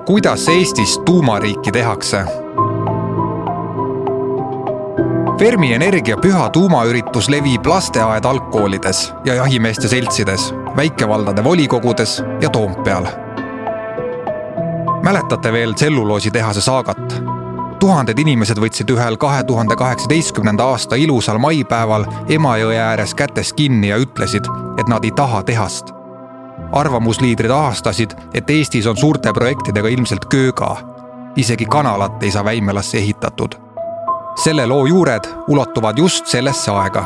Kuidas Eestis tuumariiki tehakse? Fermi Energia püha tuumaüritus levib lasteaed algkoolides ja jahimeeste seltsides, väikevaldade volikogudes ja Toompeal. Mäletate veel tselluloositehase saagat? Tuhanded inimesed võtsid ühel 2018. aasta ilusal maipäeval Emajõe ääres kätest kinni ja ütlesid, et nad ei taha tehast. Arvamusliidrid ahastasid, et Eestis on suurte projektidega ilmselt kööga. Isegi kanalat ei saa Väimelasse ehitatud. Selle loo juured ulatuvad just sellesse aega.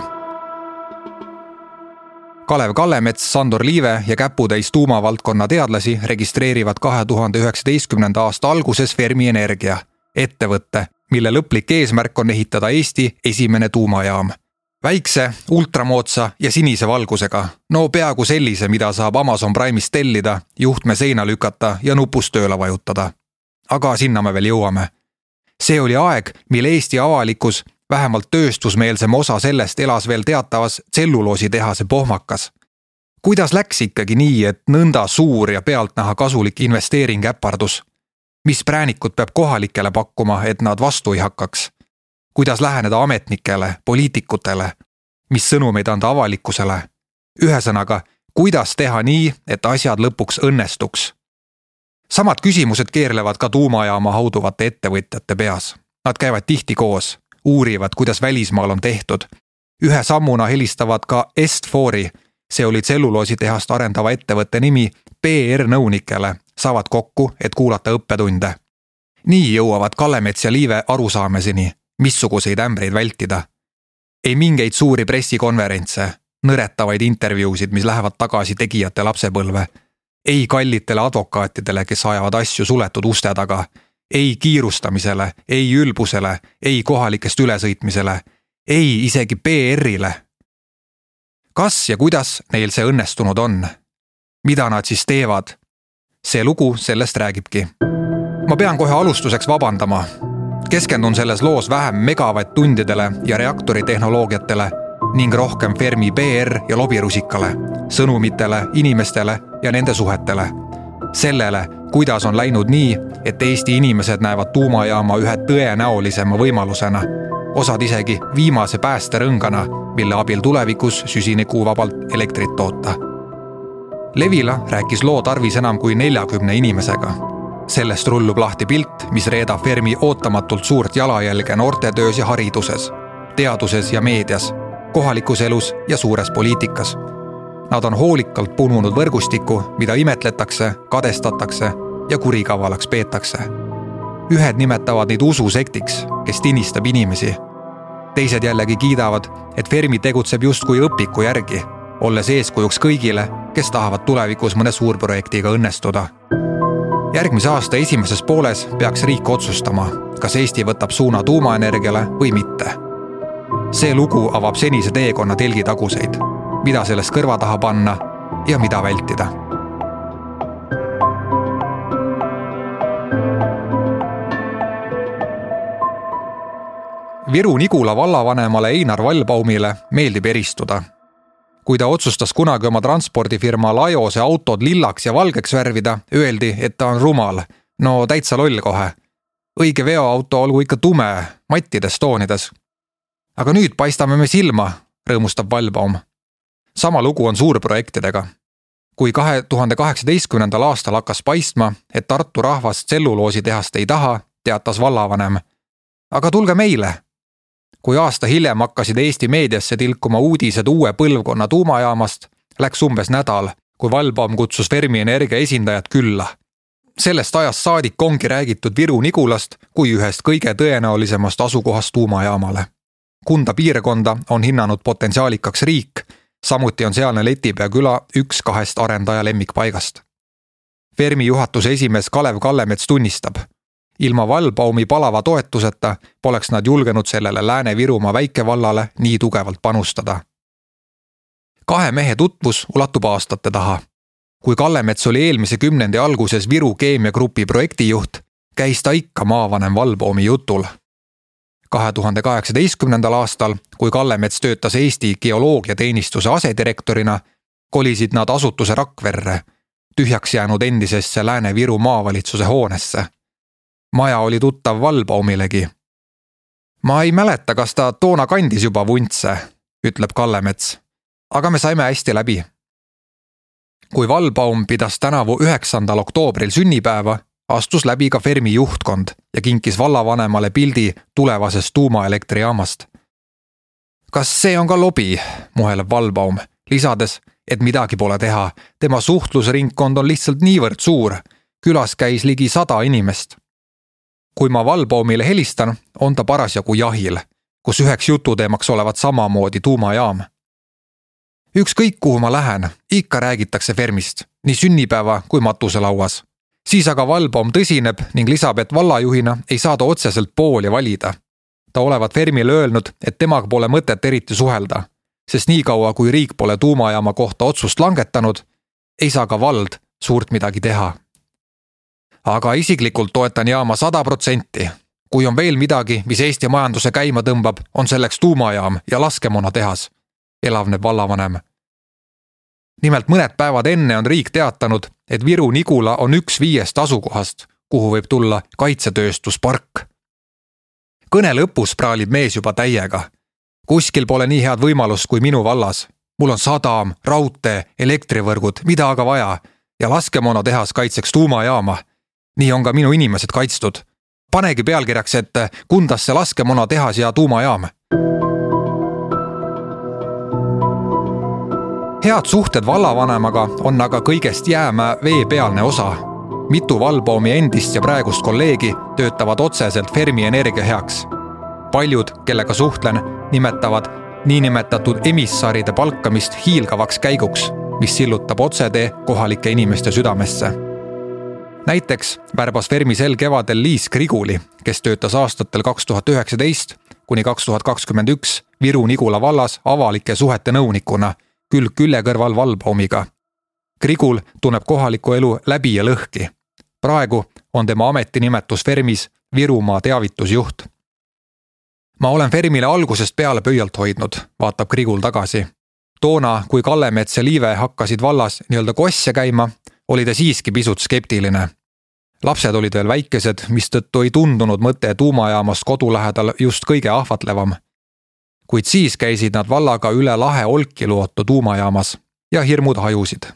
Kalev Kallemets, Sandor Liive ja käputäis tuumavaldkonna teadlasi registreerivad 2019. aasta alguses Fermi Energia, ettevõtte, mille lõplik eesmärk on ehitada Eesti esimene tuumajaam. Väikse, ultramoodsa ja sinise valgusega, no peaaegu sellise, mida saab Amazon Prime'ist tellida, juhtme seina lükata ja nupust tööle vajutada. Aga sinna me veel jõuame. See oli aeg, mil Eesti avalikkus, vähemalt tööstusmeelsem osa sellest elas veel teatavas tselluloositehase pohmakas. Kuidas läks ikkagi nii, et nõnda suur ja pealtnäha kasulik investeering äpardus? Mis präänikud peab kohalikele pakkuma, et nad vastu ei hakkaks? Kuidas läheneda ametnikele, poliitikutele? Mis sõnumeid anda avalikkusele? Ühesõnaga, kuidas teha nii, et asjad lõpuks õnnestuks? Samad küsimused keerlevad ka tuumajaama hauduvate ettevõtjate peas. Nad käivad tihti koos, uurivad, kuidas välismaal on tehtud. Ühe sammuna helistavad ka Est4-i, see oli tselluloositehast arendava ettevõtte nimi, PR-nõunikele, saavad kokku, et kuulata õppetunde. Nii jõuavad Kallemets ja Liive arusaameseni, missuguseid ämbreid vältida. Ei mingeid suuri pressikonverentse, nõretavaid intervjuusid, mis lähevad tagasi tegijate lapsepõlve. Ei kallitele advokaatidele, kes ajavad asju suletud uste taga. Ei kiirustamisele, ei ülbusele, ei kohalikest ülesõitmisele, ei isegi PR-ile. Kas ja kuidas neil see õnnestunud on? Mida nad siis teevad? See lugu sellest räägibki. Ma pean kohe alustuseks vabandama. Keskendun selles loos vähem megavatt-tundidele ja reaktoritehnoloogiatele ning rohkem Fermi PR ja lobirusikale, sõnumitele, inimestele ja nende suhetele. Sellele, kuidas on läinud nii, et Eesti inimesed näevad tuumajaama ühe tõenäolisema võimalusena, osad isegi viimase päästerõngana, mille abil tulevikus süsinikuvabalt elektrit toota. Levila rääkis loo tarvis enam kui 40 inimesega. Sellest rullub lahti pilt, mis reedab Fermi ootamatult suurt jalajälge noortetöös ja hariduses, teaduses ja meedias, kohalikus elus ja suures poliitikas. Nad on hoolikalt pununud võrgustikku, mida imetletakse, kadestatakse ja kurikavalaks peetakse. Ühed nimetavad neid ususektiks, kes tinistab inimesi. Teised jällegi kiidavad, et Fermi tegutseb justkui õpiku järgi, olles eeskujuks kõigile, kes tahavad tulevikus mõne suurprojektiga õnnestuda. Järgmise aasta esimeses pooles peaks riik otsustama, kas Eesti võtab suuna tuumaenergiale või mitte. See lugu avab senise teekonna telgitaguseid, mida sellest kõrva taha panna ja mida vältida. Viru-Nigula vallavanemale Einar Vallbaumile meeldib eristuda. Kui ta otsustas kunagi oma transpordifirma Lajose autod lillaks ja valgeks värvida, öeldi, et ta on rumal. No täitsa loll kohe. Õige veoauto olgu ikka tume, mattides toonides. Aga nüüd paistame me silma, rõõmustab Vallbaum. Sama lugu on suurprojektidega. Kui 2018. aastal hakkas paistma, et Tartu rahvas tselluloositehast ei taha, teatas vallavanem. Aga tulge meile! Kui aasta hiljem hakkasid Eesti meediasse tilkuma uudised uue põlvkonna tuumajaamast, läks umbes nädal, kui Vallbaum kutsus Fermi Energia esindajad külla. Sellest ajast saadik ongi räägitud Viru-Nigulast kui ühest kõige tõenäolisemast asukohast tuumajaamale. Kunda piirkonda on hinnanud potentsiaalikaks riik, samuti on sealne Letipea küla üks 2 arendaja lemmikpaigast. Fermi juhatuse esimees Kalev Kallemets tunnistab, ilma Vallbaumi palava toetuseta poleks nad julgenud sellele Lääne-Virumaa väikevallale nii tugevalt panustada. 2 mehe tutvus ulatub aastate taha. Kui Kallemets oli eelmise 10. alguses Viru keemiagrupi projektijuht, käis ta ikka maavanem Vallbaumi jutul. 2018. aastal, kui Kallemets töötas Eesti geoloogiateenistuse asedirektorina, kolisid nad asutuse Rakverre, tühjaks jäänud endisesse Lääne-Viru maavalitsuse hoonesse. Maja oli tuttav Wallbaumilegi. Ma ei mäleta, kas ta toona kandis juba vuntse, ütleb Kallemets, aga me saime hästi läbi. Kui Wallbaum pidas tänavu 9. oktoobril sünnipäeva, astus läbi ka Fermi juhtkond ja kinkis vallavanemale pildi tulevasest tuumaelektrijaamast. Kas see on ka lobi, muheleb Wallbaum, lisades, et midagi pole teha, tema suhtlusringkond on lihtsalt niivõrd suur, külas käis ligi 100 inimest. Kui ma Wallbaumile helistan, on ta parasjagu jahil, kus üheks jututeemaks olevat samamoodi tuumajaam. Ükskõik kuhu ma lähen, ikka räägitakse Fermist, nii sünnipäeva kui matuselauas. Siis aga Wallbaum tõsineb ning lisab, et vallajuhina ei saa ta otseselt pooli valida. Ta olevat Fermile öelnud, et temaga pole mõtet eriti suhelda, sest nii kaua kui riik pole tuumajaama kohta otsust langetanud, ei saa ka vald suurt midagi teha. Aga isiklikult toetan jaama 100%. Kui on veel midagi, mis Eesti majanduse käima tõmbab, on selleks tuumajaam ja laskemoonatehas, elavneb vallavanem. Nimelt mõned päevad enne on riik teatanud, et Viru-Nigula on 1/5 asukohast, kuhu võib tulla kaitsetööstuspark. Kõne lõpus praalib mees juba täiega. Kuskil pole nii head võimalust kui minu vallas. Mul on sadam, raudtee, elektrivõrgud, mida aga vaja ja laskemoonatehas kaitseks tuumajaama. Nii on ka minu inimesed kaitstud. Panegi pealkirjaks, et Kundasse laskemoonatehas ja tuumajaam. Head suhted vallavanemaga on aga kõigest jäämäe veepealne osa. Mitu Wallbaumi endist ja praegust kolleegi töötavad otseselt Fermi Energia heaks. Paljud, kellega suhtlen, nimetavad niinimetatud emissaride palkamist hiilgavaks käiguks, mis sillutab otsetee kohalike inimeste südamesse. Näiteks värbas Fermi sel kevadel Liis Kriguli, kes töötas aastatel 2019 kuni 2021 Viru-Nigula vallas avalike suhete nõunikuna, küll külje kõrval Wallbaumiga. Krigul tunneb kohalikku elu läbi ja lõhki. Praegu on tema ametinimetus Fermis Virumaa teavitusjuht. Ma olen Fermile algusest peale pöialt hoidnud, vaatab Krigul tagasi. Toona, kui Kallemets ja Liive hakkasid vallas nii-öelda kosse käima, oli ta siiski pisut skeptiline. Lapsed olid veel väikesed, mistõttu ei tundunud mõte tuumajaamast kodu lähedal just kõige ahvatlevam. Kuid siis käisid nad vallaga üle lahe Olkiluoto tuumajaamas ja hirmud hajusid.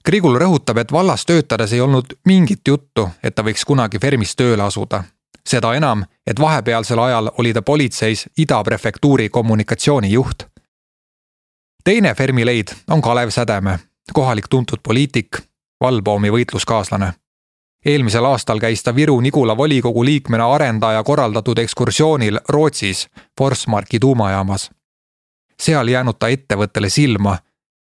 Krigul rõhutab, et vallas töötades ei olnud mingit juttu, et ta võiks kunagi Fermis tööle asuda. Seda enam, et vahepealsel ajal oli ta politseis Ida prefektuuri kommunikatsioonijuht. Teine Fermi leid on Kalev Sädeme, kohalik tuntud poliitik, Wallbaumi võitluskaaslane. Eelmisel aastal käis ta Viru-Nigula volikogu liikmena arendaja korraldatud ekskursioonil Rootsis Forsmarki tuumajaamas. Seal jäänud ta ettevõttele silma,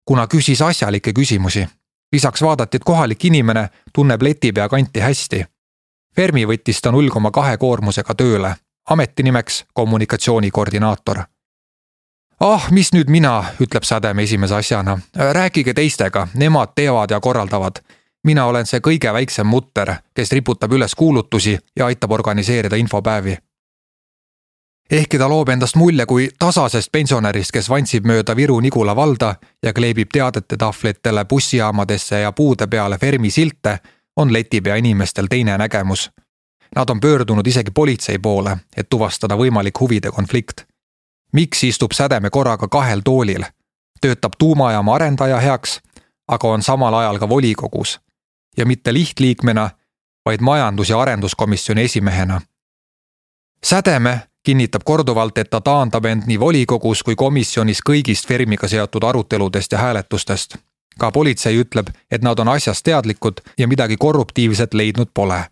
kuna küsis asjalikke küsimusi. Lisaks vaadati, et kohalik inimene tunneb Letipea kanti hästi. Fermi võttis ta 0,2 koormusega tööle, ametinimeks kommunikatsioonikoordinaator. Mis nüüd mina, ütleb Sädeme esimese asjana. Rääkige teistega, nemad teevad ja korraldavad. Mina olen see kõige väiksem mutter, kes riputab üles kuulutusi ja aitab organiseerida infopäevi. Ehkki ta loob endast mulje kui tasasest pensionärist, kes vantsib mööda Viru-Nigula valda ja kleebib teadete tahvlitele bussijaamadesse ja puude peale Fermi silte, on Letipea inimestel teine nägemus. Nad on pöördunud isegi politsei poole, et tuvastada võimalik huvide konflikt. Miks istub Sädeme korraga 2 toolil? Töötab tuumajaama arendaja heaks, aga on samal ajal ka volikogus. Ja mitte lihtliikmena, vaid majandus- ja arenduskomisjoni esimehena. Sädeme kinnitab korduvalt, et ta taandab end nii volikogus kui komisjonis kõigist Fermiga seotud aruteludest ja hääletustest. Ka politsei ütleb, et nad on asjast teadlikud ja midagi korruptiivset leidnud pole.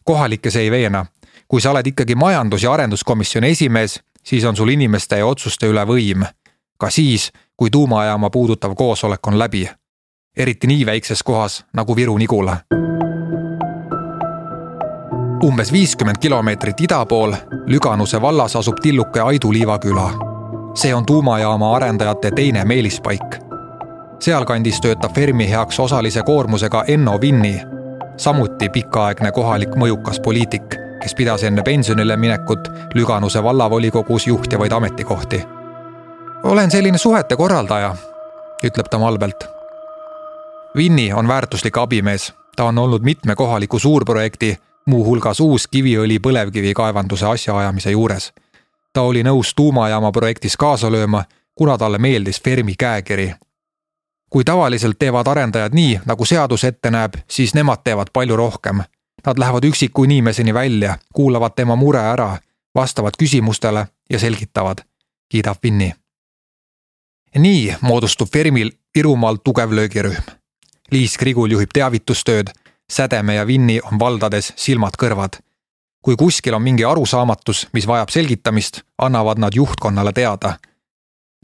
Kohalikes ei veena. Kui sa oled ikkagi majandus- ja arenduskomisjoni esimees, siis on sul inimeste ja otsuste üle võim. Ka siis, kui tuumajaama puudutav koosolek on läbi. Eriti nii väikses kohas nagu Viru-Nigula. Umbes 50 kilomeetrit ida pool Lüganuse vallas asub tilluke Aidu-Liiva küla. See on tuumajaama arendajate teine meelispaik. Sealkandis töötab Fermi heaks osalise koormusega Enno Vinni, samuti pikaaegne kohalik mõjukas poliitik, kes pidas enne pensionile minekut Lüganuse vallavolikogus juhtivaid ametikohti. Olen selline suhete korraldaja, ütleb ta malbelt. Vinni on väärtuslik abimees. Ta on olnud mitme kohaliku suurprojekti, muu hulgas uus kiviõli põlevkivi kaevanduse asjaajamise juures. Ta oli nõus tuumajaama projektis kaasa lööma, kuna talle meeldis Fermi käekiri. Kui tavaliselt teevad arendajad nii, nagu seadus ette näeb, siis nemad teevad palju rohkem. Nad lähevad üksiku inimeseni välja, kuulavad tema mure ära, vastavad küsimustele ja selgitavad, kiidab Vinni. Nii moodustub Fermil Virumaal tugev löögirühm. Liis Krigul juhib teavitustööd, Sädeme ja Vinni on valdades silmad kõrvad. Kui kuskil on mingi arusaamatus, mis vajab selgitamist, annavad nad juhtkonnale teada.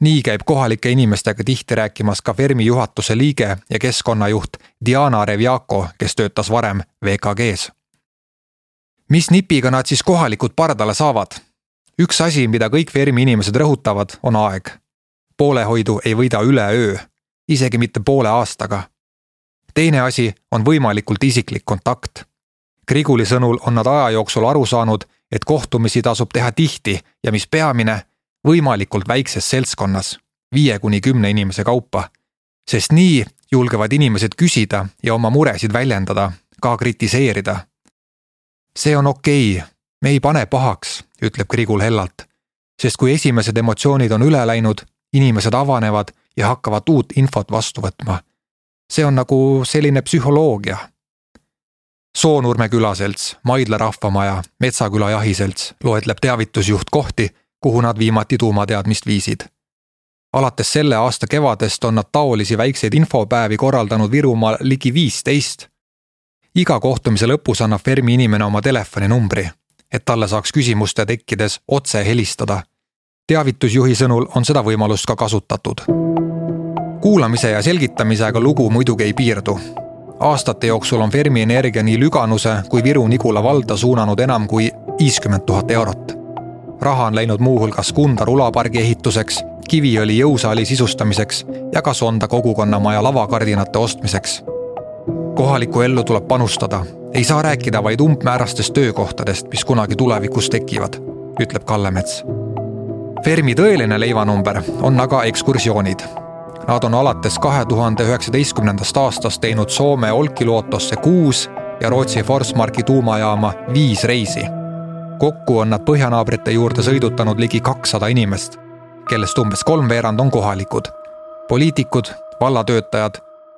Nii käib kohalike inimestega tihti rääkimas ka Fermi juhatuse liige ja keskkonnajuht Diana Revjako, kes töötas varem VKGs. Mis nipiga nad siis kohalikud pardale saavad? Üks asi, mida kõik Fermi inimesed rõhutavad, on aeg. Poolehoidu ei võida üleöö, isegi mitte poole aastaga. Teine asi on võimalikult isiklik kontakt. Kriguli sõnul on nad aja jooksul aru saanud, et kohtumisi tasub teha tihti ja mis peamine, võimalikult väikses seltskonnas, 5–10 inimese kaupa, sest nii julgevad inimesed küsida ja oma muresid väljendada, ka kritiseerida. See on okei, me ei pane pahaks, ütleb Krigul hellalt, sest kui esimesed emotsioonid on üle läinud, inimesed avanevad ja hakkavad uut infot vastu võtma. See on nagu selline psühholoogia. Soonurme külaselts, Maidla rahvamaja, Metsaküla jahiselts loetleb teavitusjuht kohti, kuhu nad viimati tuumateadmist viisid. Alates selle aasta kevadest on nad taolisi väikseid infopäevi korraldanud Virumaal ligi 15. Iga kohtumise lõpus annab Fermi inimene oma telefoninumbri, et talle saaks küsimuste tekkides otse helistada. Teavitusjuhi sõnul on seda võimalust ka kasutatud. Kuulamise ja selgitamisega lugu muidugi ei piirdu. Aastate jooksul on Fermi Energia nii Lüganuse kui Viru-Nigula valda suunanud enam kui 50 000 eurot. Raha on läinud muu hulgas Kunda rulapargi ehituseks, Kiviõli jõusaali sisustamiseks ja ka Sonda kogukonnamaja lavakardinate ostmiseks. Kohaliku ellu tuleb panustada. Ei saa rääkida vaid umbmäärastest töökohtadest, mis kunagi tulevikus tekivad, ütleb Kallemets. Fermi tõeline leivanumber on aga ekskursioonid. Nad on alates 2019. aastast teinud Soome Olkiluotosse 6 ja Rootsi Forsmarki tuumajaama 5 reisi. Kokku on nad põhjanaabrite juurde sõidutanud ligi 200 inimest, kellest umbes 3/4 on kohalikud, poliitikud, vallatöötajad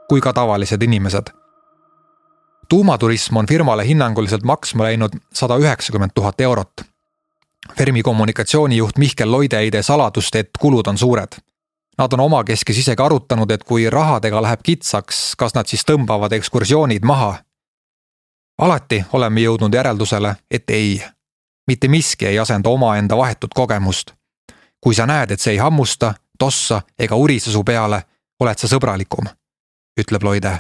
kui ka tavalised inimesed. Tuumaturism on firmale hinnanguliselt maksma läinud 190 000 eurot. Fermi kommunikatsioonijuht Mihkel Loide ei tee saladust, et kulud on suured. Nad on omakeskis isegi arutanud, et kui rahadega läheb kitsaks, kas nad siis tõmbavad ekskursioonid maha. Alati oleme jõudnud järeldusele, et ei. Mitte miski ei asenda omaenda vahetut kogemust. Kui sa näed, et see ei hammusta, tossa ega urise su peale, oled sa sõbralikum, ütleb Loide.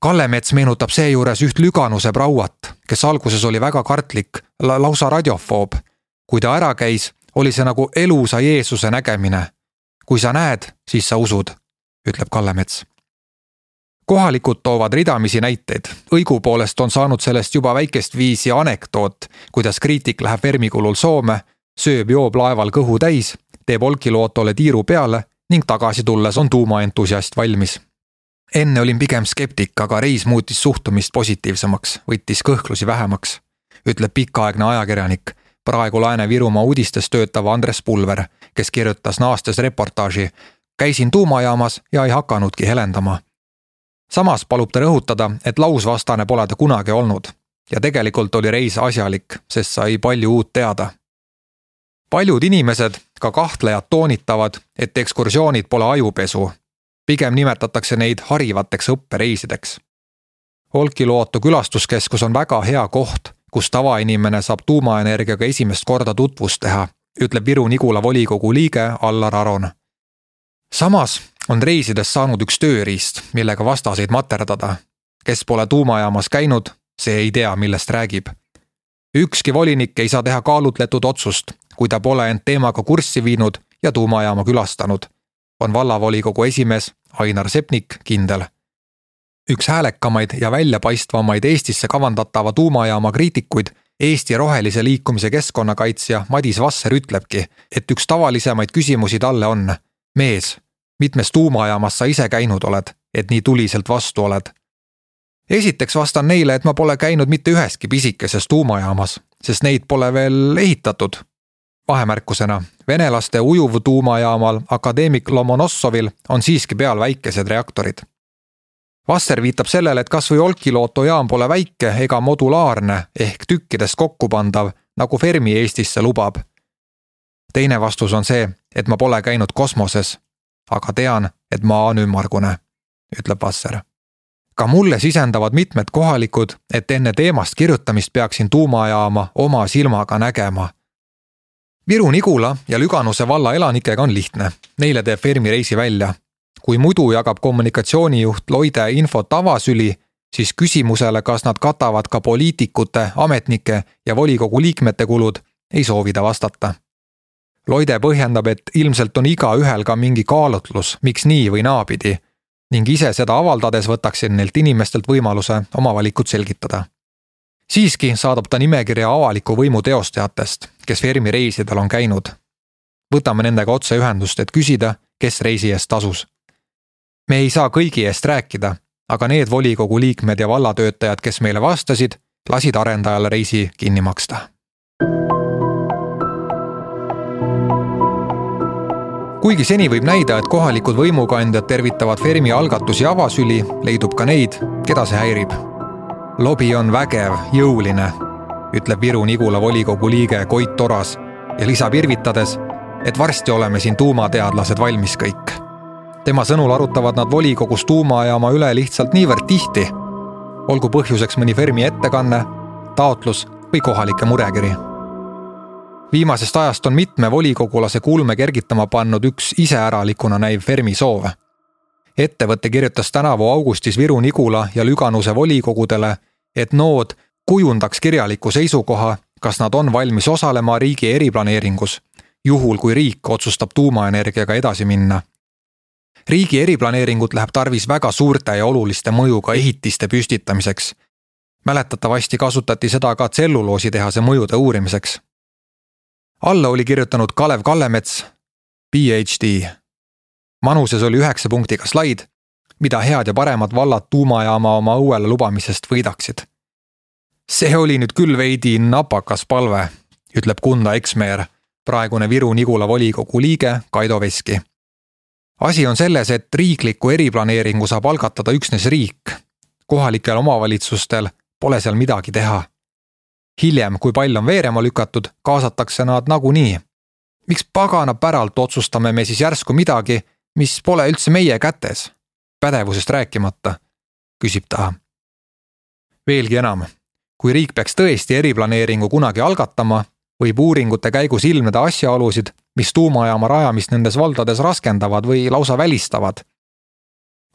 Kallemets meenutab seejuures üht Lüganuse Brauat, kes alguses oli väga kartlik, lausa radiofoob. Kui ta ära käis, oli see nagu elusa Jeesuse nägemine. Kui sa näed, siis sa usud, ütleb Kallemets. Kohalikud toovad ridamisi näiteid. Õigupoolest on saanud sellest juba väikest viisi anekdoot, kuidas kriitik läheb Fermi kulul Soome, sööb joob laeval kõhu täis, teeb Olkiluotole tiiru peale ning tagasi tulles on tuumaentusiast valmis. Enne olin pigem skeptik, aga reis muutis suhtumist positiivsemaks, võttis kõhklusi vähemaks, ütleb pikaaegne ajakirjanik, praegu Lääne-Virumaa uudistes töötav Andres Pulver, kes kirjutas naastes reportaaži, käisin tuumajaamas ja ei hakanudki helendama. Samas palub ta rõhutada, et lausvastane pole ta kunagi olnud ja tegelikult oli reis asjalik, sest sai palju uut teada. Paljud inimesed, ka kahtlejad toonitavad, et ekskursioonid pole ajupesu. Pigem nimetatakse neid harivateks õppereisideks. Olkiluoto külastuskeskus on väga hea koht, kus tavainimene saab tuumaenergiaga esimest korda tutvust teha, ütleb Viru-Nigula volikogu liige Allar Aron. Samas on reisides saanud üks tööriist, millega vastaseid materdada. Kes pole tuumajaamas käinud, see ei tea, millest räägib. Ükski volinik ei saa teha kaalutletud otsust, kui ta pole end teemaga kurssi viinud ja tuumajaama külastanud, on vallavolikogu esimees Ainar Sepnik kindel. Üks häälekamaid ja väljapaistvamaid Eestisse kavandatava tuumajaama kriitikuid, Eesti rohelise liikumise keskkonnakaitsja Madis Vasser ütlebki, et üks tavalisemaid küsimusi talle on: mees, mitmes tuumajaamas sa ise käinud oled et nii tuliselt vastu oled? Esiteks vastan neile, et ma pole käinud mitte üheski pisikeses tuumajaamas, sest neid pole veel ehitatud. Vahemärkusena, venelaste ujuv tuumajaamal Akadeemik Lomonossovil on siiski peal väikesed reaktorid. Vasser viitab sellele, et kas või Olkiluoto jaam pole väike ega modulaarne ehk tükkidest kokkupandav, nagu Fermi Eestisse lubab. Teine vastus on see, et ma pole käinud kosmoses, aga tean, et maa on ümmargune, ütleb Vasser. Ka mulle sisendavad mitmed kohalikud, et enne teemast kirjutamist peaksin tuumajaama oma silmaga nägema. Viru-Nigula ja Lüganuse valla elanikega on lihtne, neile teeb Fermi reisi välja. Kui muidu jagab kommunikatsioonijuht Loide infot avasüli, siis küsimusele, kas nad katavad ka poliitikute, ametnike ja volikogu liikmete kulud, ei soovida vastata. Loide põhjendab, et ilmselt on igaühel ka mingi kaalutlus, miks nii või naapidi, ning ise seda avaldades võtaksin neilt inimestelt võimaluse oma valikut selgitada. Siiski saadab ta nimekirja avaliku võimu teostajatest, kes Fermi reisidel on käinud. Võtame nendega otse ühendust, et küsida, kes reisi eest tasus. Me ei saa kõigi eest rääkida, aga need volikogu liikmed ja vallatöötajad, kes meile vastasid, lasid arendajale reisi kinni maksta. Kuigi seni võib näida, et kohalikud võimukandjad tervitavad Fermi algatusi avasüli, leidub ka neid, keda see häirib. Lobi on vägev, jõuline, ütleb Viru-Nigula volikogu liige Koit Toras ja lisab irvitades, et varsti oleme siin tuumateadlased valmis kõik. Tema sõnul arutavad nad volikogus tuumajaama üle lihtsalt niivõrd tihti, olgu põhjuseks mõni Fermi ettekanne, taotlus või kohalike murekiri. Viimasest ajast on mitme volikogulase kulme kergitama pannud üks iseäralikuna näiv Fermi soov. Ettevõtte kirjutas tänavu augustis Viru-Nigula ja Lüganuse volikogudele, et nood kujundaks kirjaliku seisukoha, kas nad on valmis osalema riigi eriplaneeringus, juhul kui riik otsustab tuumaenergiaga edasi minna. Riigi eriplaneeringut läheb tarvis väga suurte ja oluliste mõjuga ehitiste püstitamiseks. Mäletatavasti kasutati seda ka tselluloositehase mõjude uurimiseks. Alla oli kirjutanud Kalev Kallemets, PhD. Manuses oli 9 punktiga slaid, mida head ja paremad vallad tuumajaama oma õuele lubamisest võidaksid. See oli nüüd küll veidi napakas palve, ütleb Kunda Eksmeer, praegune Viru-Nigula volikogu liige Kaido Veski. Asi on selles, et riikliku eriplaneeringu saab algatada üksnes riik. Kohalikel omavalitsustel pole seal midagi teha. Hiljem, kui pall on veerema lükatud, kaasatakse nad nagunii. Miks pagana päralt otsustame me siis järsku midagi, mis pole üldse meie kätes? Pädevusest rääkimata, küsib ta. Veelgi enam, kui riik peaks tõesti eriplaneeringu kunagi algatama, võib uuringute käigus ilmneda asjaolusid, mis tuumajaama rajamist nendes valdades raskendavad või lausa välistavad.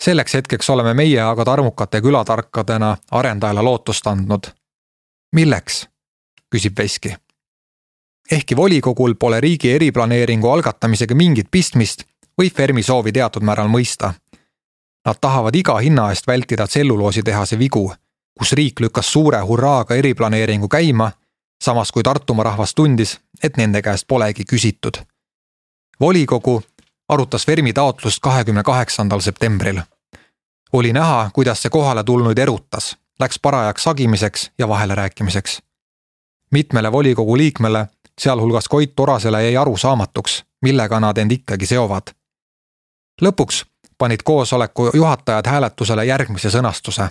Selleks hetkeks oleme meie aga tarmukate külatarkadena arendajale lootust andnud. Milleks? Küsib Veski. Ehkki volikogul pole riigi eriplaneeringu algatamisega mingit pistmist, võib Fermi soovi teatud määral mõista. Nad tahavad iga hinna eest vältida tselluloositehase vigu, kus riik lükkas suure hurraaga eriplaneeringu käima, samas kui Tartumaa rahvas tundis, et nende käest polegi küsitud. Volikogu arutas Fermi taotlust 28. septembril. Oli näha, kuidas see kohale tulnuid erutas, läks parajaks sagimiseks ja vahele rääkimiseks. Mitmele volikogu liikmele, sealhulgas Koit Torasele, jäi aru saamatuks, millega nad end ikkagi seovad. Lõpuks panid koosoleku juhatajad hääletusele järgmise sõnastuse.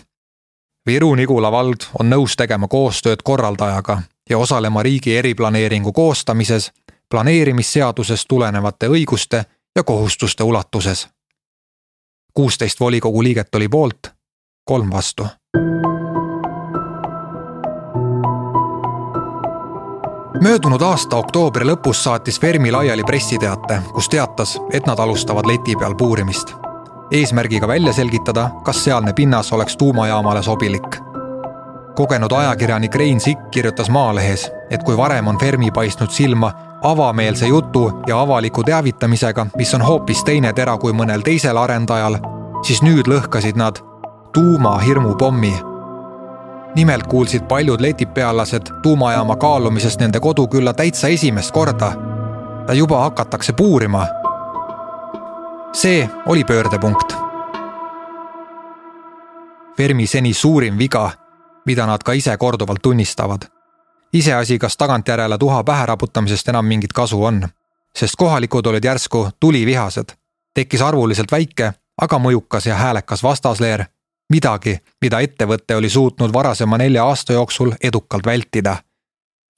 Viru-Nigula vald on nõus tegema koostööd korraldajaga ja osalema riigi eriplaneeringu koostamises, planeerimisseadusest tulenevate õiguste ja kohustuste ulatuses. 16 volikogu liiget oli poolt, 3 vastu. Möödunud aasta oktoobri lõpus saatis Fermi laiali pressiteate, kus teatas, et nad alustavad leti peal puurimist. Eesmärgiga välja selgitada, kas sealne pinnas oleks tuumajaamale sobilik. Kogenud ajakirjanik Rein Sikk kirjutas Maalehes, et kui varem on Fermi paistnud silma avameelse jutu ja avaliku teavitamisega, mis on hoopis teine tera kui mõnel teisel arendajal, siis nüüd lõhkasid nad tuumahirmupommi. Nimelt kuulsid paljud letipealased tuumajaama kaalumisest nende kodukülla täitsa esimest korda. Ta juba hakatakse puurima. See oli pöördepunkt. Fermi seni suurim viga, mida nad ka ise korduvalt tunnistavad. Iseasi, kas tagantjärele tuha pähe raputamisest enam mingit kasu on, sest kohalikud olid järsku tulivihased. Tekkis arvuliselt väike, aga mõjukas ja häälekas vastasleer, midagi, mida ettevõtte oli suutnud varasema 4 aasta jooksul edukalt vältida.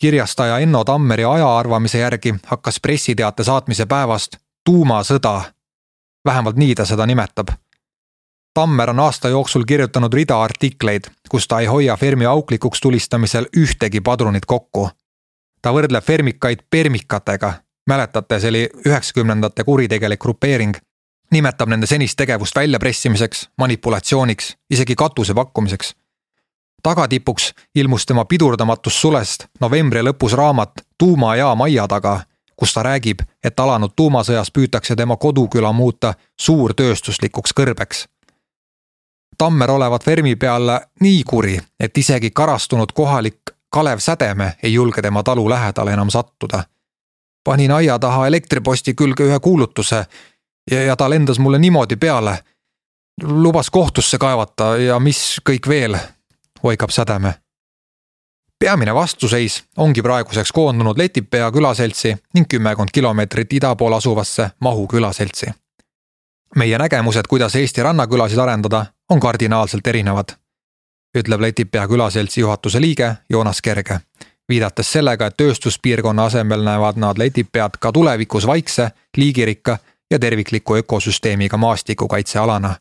Kirjastaja Enno Tammeri ajaarvamise järgi hakkas pressiteate saatmise päevast tuumasõda. Vähemalt nii ta seda nimetab. Tammer on aasta jooksul kirjutanud rida artikleid, kus ta ei hoia Fermi auklikuks tulistamisel ühtegi padrunit kokku. Ta võrdleb fermikaid permikatega. Mäletate, see oli 90ndate kuritegelik grupeering. Nimetab nende senist tegevust väljapressimiseks, manipulatsiooniks, isegi katuse pakkumiseks. Tagatipuks ilmus tema pidurdamatus sulest novembri lõpus raamat Tuumajaam aia taga, kus ta räägib, et alanud tuumasõjas püütakse tema koduküla muuta suurtööstuslikuks kõrbeks. Tammer olevat Fermi peale nii kuri, et isegi karastunud kohalik Kalev Sädeme ei julge tema talu lähedale enam sattuda. Panin aia taha elektriposti külge ühe kuulutuse ja ta lendas mulle niimoodi peale. Lubas kohtusse kaevata ja mis kõik veel, oikab Sädeme. Peamine vastuseis ongi praeguseks koondunud Letipea külaseltsi ning 10 kilomeetrit ida pool asuvasse Mahu külaseltsi. Meie nägemused, kuidas Eesti rannakülasid arendada, on kardinaalselt erinevad, ütleb Letipea külaseltsi juhatuse liige Joonas Kerge, viidates sellega, et tööstuspiirkonna asemel näevad nad Letipead ka tulevikus vaikse, liigirikka ja tervikliku ökosüsteemiga maastikukaitsealana.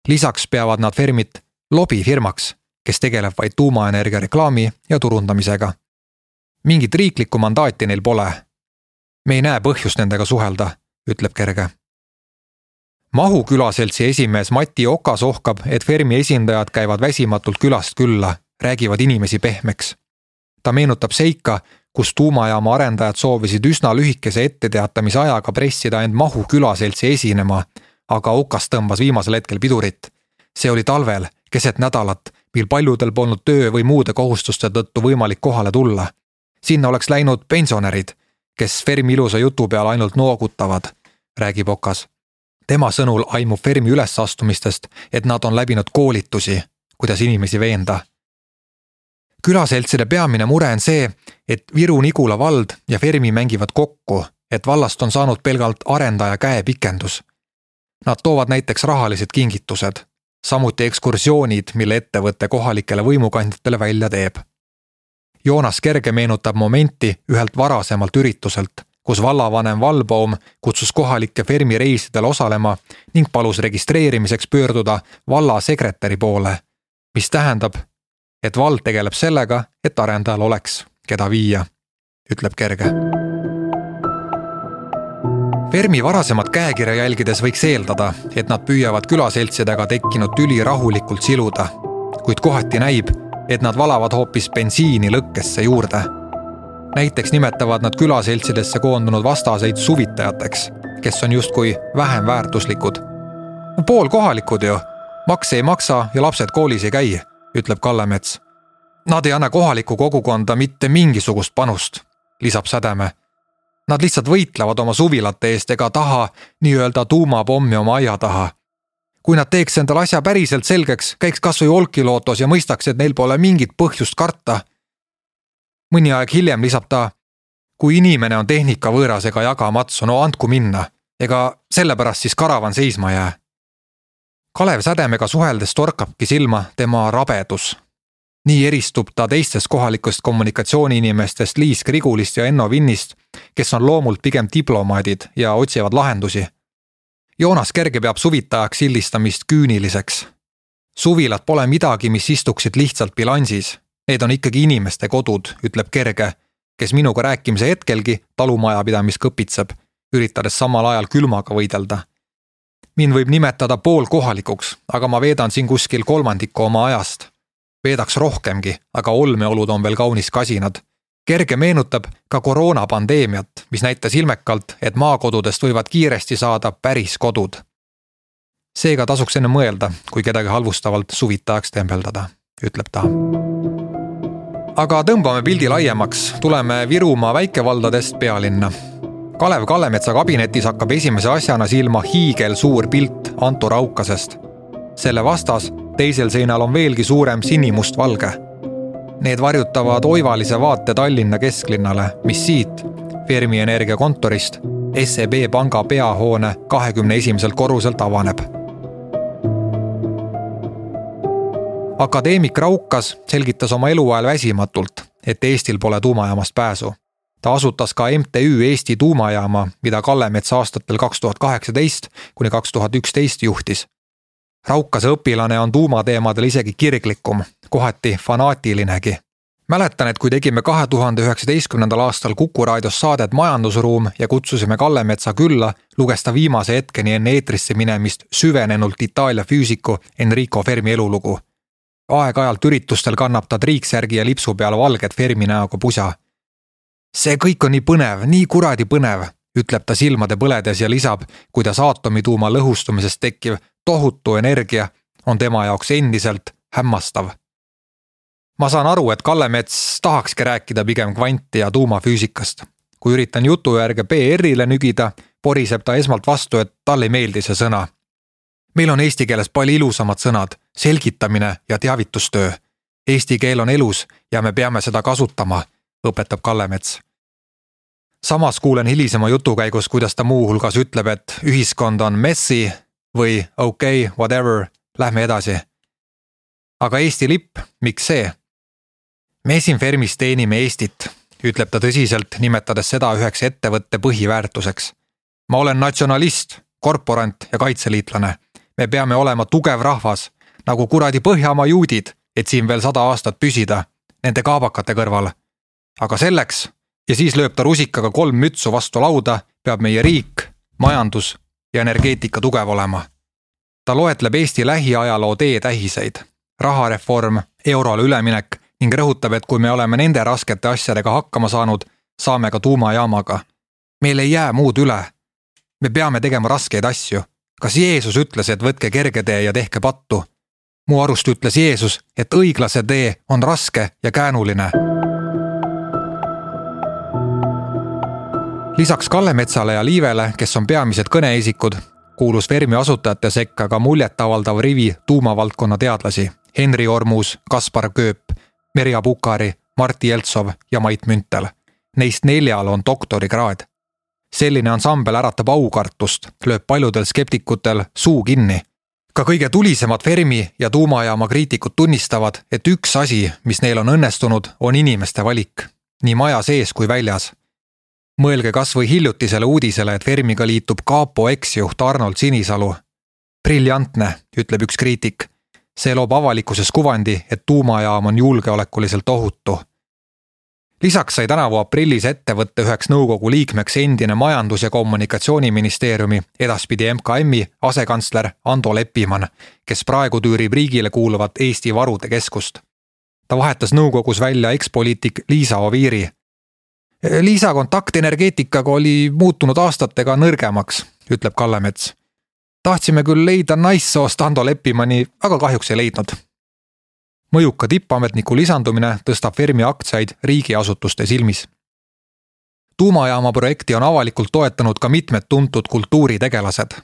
Lisaks peavad nad Fermit lobifirmaks, kes tegeleb vaid tuumaenergia reklaami ja turundamisega. Mingit riiklikku mandaati neil pole. Me ei näe põhjust nendega suhelda, ütleb Kerge. Mahu külaseltsi esimees Mati Okas ohkab, et Fermi esindajad käivad väsimatult külast külla, räägivad inimesi pehmeks. Ta meenutab seika, kus tuumajaama arendajad soovisid üsna lühikese etteteatamise ajaga pressida end Mahu külaseltsi esinema, aga Okas tõmbas viimasel hetkel pidurit. See oli talvel, keset nädalat, mil paljudel polnud töö või muude kohustuste tõttu võimalik kohale tulla. Sinna oleks läinud pensionärid, kes Fermi ilusa jutu peal ainult noogutavad, räägib Okas. Tema sõnul aimub Fermi ülesastumistest, et nad on läbinud koolitusi, kuidas inimesi veenda. Külaseltside peamine mure on see, et Viru-Nigula vald ja Fermi mängivad kokku, et vallast on saanud pelgalt arendaja käepikendus. Nad toovad näiteks rahalised kingitused, samuti ekskursioonid, mille ettevõtte kohalikele võimukandjatele välja teeb. Joonas Kerge meenutab momenti ühelt varasemalt ürituselt, kus vallavanem Valbaum kutsus kohalikke Fermi reisidel osalema ning palus registreerimiseks pöörduda valla sekretäri poole, mis tähendab, et vald tegeleb sellega, et arendajal oleks, keda viia, ütleb Kerge. Fermi varasemat käekirja jälgides võiks eeldada, et nad püüavad külaseltsidega tekkinud tüli rahulikult siluda, kuid kohati näib, et nad valavad hoopis bensiini lõkkesse juurde. Näiteks nimetavad nad külaseltsidesse koondunud vastaseid suvitajateks, kes on justkui vähem väärtuslikud. Pool kohalikud ju, makse ei maksa ja lapsed koolis ei käi, ütleb Kallemets. Nad ei anna kohalikku kogukonda mitte mingisugust panust, lisab Sädeme. Nad lihtsalt võitlevad oma suvilate eest ega taha nii-öelda tuumapommi oma aia taha. Kui nad teeks endal asja päriselt selgeks, käiks kas või Olkilootos ja mõistaks, et neil pole mingit põhjust karta. Mõni aeg hiljem lisab ta, kui inimene on tehnika võõras ega jagamatsu, no andku minna, ega sellepärast siis karavan seisma jää. Kalev Sädemega suheldes torkabki silma tema rabedus. Nii eristub ta teistest kohalikust kommunikatsiooniinimestest Liis Krigulist ja Enno Vinnist, kes on loomult pigem diplomaadid ja otsivad lahendusi. Joonas Kerge peab suvitajaks sildistamist küüniliseks. Suvilad pole midagi, mis istuksid lihtsalt bilansis. Need on ikkagi inimeste kodud, ütleb Kerge, kes minuga rääkimise hetkelgi talumajapidamist kõpitseb, üritades samal ajal külmaga võidelda. Mind võib nimetada pool kohalikuks, aga ma veedan siin kuskil 1/3 oma ajast. Veedaks rohkemgi, aga olmeolud on veel kaunis kasinad. Kerge meenutab ka koroonapandeemiat, mis näitas ilmekalt, et maakodudest võivad kiiresti saada päris kodud. Seega tasuks enne mõelda, kui kedagi halvustavalt suvitajaks tembeldada, ütleb ta. Aga tõmbame pildi laiemaks, tuleme Virumaa väikevaldadest pealinna. Kalev Kallemetsa kabinetis hakkab esimese asjana silma hiigelsuur pilt Anto Raukasest. Selle vastas teisel seinal on veelgi suurem sinimustvalge. Need varjutavad oivalise vaate Tallinna kesklinnale, mis siit, Fermi Energia kontorist, SEB panga peahoone 21. korruselt avaneb. Akadeemik Raukas selgitas oma eluajal väsimatult, et Eestil pole tuumajaamast pääsu. Ta asutas ka MTÜ Eesti tuumajaama, mida Kallemets aastatel 2018 kuni 2011 juhtis. Raukase õpilane on tuumateemadel isegi kirglikum, kohati fanaatilinegi. Mäletan, et kui tegime 2019. aastal Kuku raadios saadet Majandusruum ja kutsusime Kallemetsa külla, luges ta viimase hetkeni enne eetrisse minemist süvenenult Itaalia füüsiku Enrico Fermi elulugu. Aeg-ajalt üritustel kannab ta triiksärgi ja lipsu peal valget Fermi näoga pusa. See kõik on nii põnev, nii kuradi põnev, ütleb ta silmade põledes ja lisab, kuidas aatomituuma lõhustumisest tekkiv tohutu energia on tema jaoks endiselt hämmastav. Ma saan aru, et Kallemets tahakski rääkida pigem kvanti- ja tuumafüüsikast. Kui üritan jutu järge PR-ile nügida, poriseb ta esmalt vastu, et talle ei meeldi see sõna. Meil on eesti keeles palju ilusamad sõnad, selgitamine ja teavitustöö. Eesti keel on elus ja me peame seda kasutama, õpetab Kallemets. Samas kuulen hilisema jutu käigus, kuidas ta muu hulgas ütleb, et ühiskond on messy või okei, whatever, lähme edasi. Aga Eesti lipp, miks see? Me siin Fermis teenime Eestit, ütleb ta tõsiselt, nimetades seda üheks ettevõtte põhiväärtuseks. Ma olen natsionalist, korporant ja kaitseliitlane. Me peame olema tugev rahvas, nagu kuradi Põhjamaa juudid, et siin veel 100 aastat püsida, nende kaabakate kõrval. Aga selleks, ja siis lööb ta rusikaga 3 mütsu vastu lauda, peab meie riik, majandus ja energeetika tugev olema. Ta loetleb Eesti lähiajaloo teetähiseid, rahareform, eurole üleminek ning rõhutab, et kui me oleme nende raskete asjadega hakkama saanud, saame ka tuumajaamaga. Meil ei jää muud üle. Me peame tegema raskeid asju. Kas Jeesus ütles, et võtke kerge tee ja tehke pattu? Mu arust ütles Jeesus, et õiglase tee on raske ja käänuline. Lisaks Kallemetsale ja Liivele, kes on peamised kõneisikud, kuulus Fermi asutajate sekka ka muljetavaldav rivi tuumavaldkonna teadlasi Henri Ormus, Kaspar Kööp, Merja Pukari, Martti Jeltsov ja Mait Müntel. Neist 4 on doktorikraad. Selline ansambel äratab aukartust, lööb paljudel skeptikutel suu kinni. Ka kõige tulisemad Fermi ja tuumajaama kriitikud tunnistavad, et üks asi, mis neil on õnnestunud, on inimeste valik, nii maja sees kui väljas. Mõelge kas või hiljutisele uudisele, et Fermiga liitub Kaapo eksjuht Arnold Sinisalu. Briljantne, ütleb üks kriitik. See loob avalikkuses kuvandi, et tuumajaam on julgeolekuliselt ohutu. Lisaks sai tänavu aprillis ettevõtte üheks nõukogu liikmeks endine Majandus- ja Kommunikatsiooniministeeriumi, edaspidi MKM-i asekantsler Ando Leppiman, kes praegu tüürib riigile kuuluvat Eesti Varude Keskust. Ta vahetas nõukogus välja ekspoliitik Liisa Oviiri. Liisa kontakt energeetikaga oli muutunud aastatega nõrgemaks, ütleb Kallemets. Tahtsime küll leida naissoost Ando Leppimani, aga kahjuks ei leidnud. Mõjuka tippametniku lisandumine tõstab Fermi aktsiaid riigiasutuste silmis. Tuumajaama projekti on avalikult toetanud ka mitmed tuntud kultuuritegelased.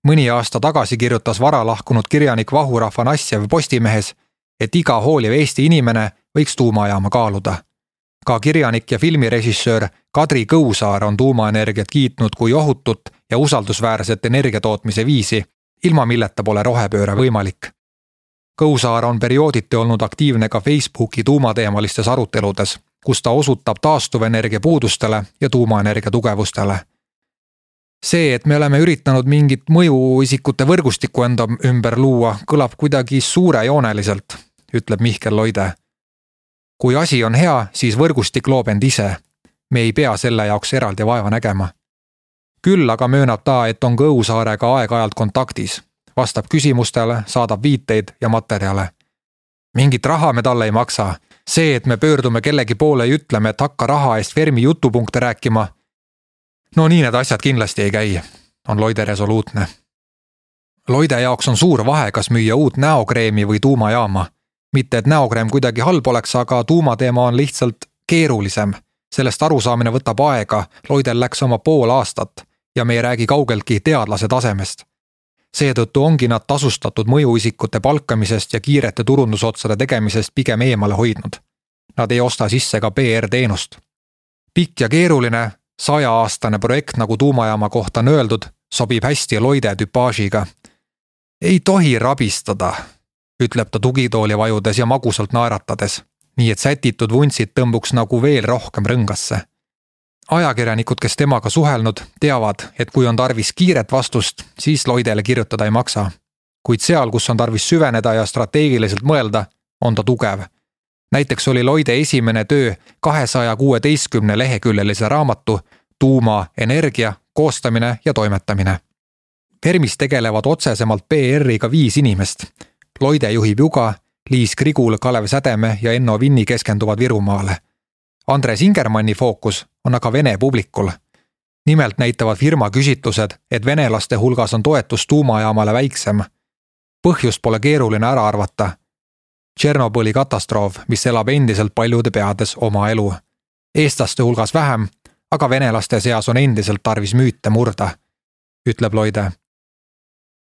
Mõni aasta tagasi kirjutas vara lahkunud kirjanik Vahur Afanassjev Postimehes, et iga hooliv Eesti inimene võiks tuumajaama kaaluda. Ka kirjanik ja filmirežissöör Kadri Kõusaar on tuumaenergiat kiitnud kui ohutut ja usaldusväärset energiatootmise viisi, ilma milleta pole rohepööre võimalik. Kõusaar on periooditi olnud aktiivne ka Facebooki tuumateemalistes aruteludes, kus ta osutab taastuvenergia puudustele ja tuumaenergia tugevustele. See, et me oleme üritanud mingit mõjuisikute võrgustikku enda ümber luua, kõlab kuidagi suurejooneliselt, ütleb Mihkel Loide. Kui asi on hea, siis võrgustik loob end ise. Me ei pea selle jaoks eraldi vaeva nägema. Küll aga möönab ta, et on Kõusaarega aeg-ajalt kontaktis. Vastab küsimustele, saadab viiteid ja materjale. Mingit raha me talle ei maksa. See, et me pöördume kellegi poole ja ütleme, et hakka raha eest Fermi jutupunkte rääkima. No nii need asjad kindlasti ei käi, on Loide resoluutne. Loide jaoks on suur vahe, kas müüa uut näokreemi või tuumajaama. Mitte, et näokreem kuidagi halb oleks, aga tuumateema on lihtsalt keerulisem. Sellest arusaamine võtab aega, Loidel läks oma pool aastat ja me ei räägi kaugeltki teadlase tasemest. Seetõttu ongi nad tasustatud mõjuisikute palkamisest ja kiirete turundusotsade tegemisest pigem eemale hoidnud. Nad ei osta sisse ka PR-teenust. Pikk ja keeruline 100-aastane projekt, nagu tuumajaama kohta on öeldud, sobib hästi Loide tüpaažiga. Ei tohi rabistada, ütleb ta tugitooli vajudes ja magusalt naeratades, nii et sätitud vuntsid tõmbuks nagu veel rohkem rõngasse. Ajakirjanikud, kes temaga suhelnud, teavad, et kui on tarvis kiiret vastust, siis Loidele kirjutada ei maksa. Kuid seal, kus on tarvis süveneda ja strateegiliselt mõelda, on ta tugev. Näiteks oli Loide esimene töö 216 leheküljelise raamatu Tuumaenergia koostamine ja toimetamine. Fermis tegelevad otsesemalt PR-iga 5 inimest. Loide juhib Juga, Liis Krigul, Kalev Sädeme ja Enno Vinni keskenduvad Virumaale. Andres Ingermanni fookus on aga Vene publikul. Nimelt näitavad firma küsitlused, et venelaste hulgas on toetus tuumajaamale väiksem. Põhjust pole keeruline ära arvata. Tšernobõli katastroof, mis elab endiselt paljude peades oma elu. Eestlaste hulgas vähem, aga venelaste seas on endiselt tarvis müüte murda, ütleb Loide.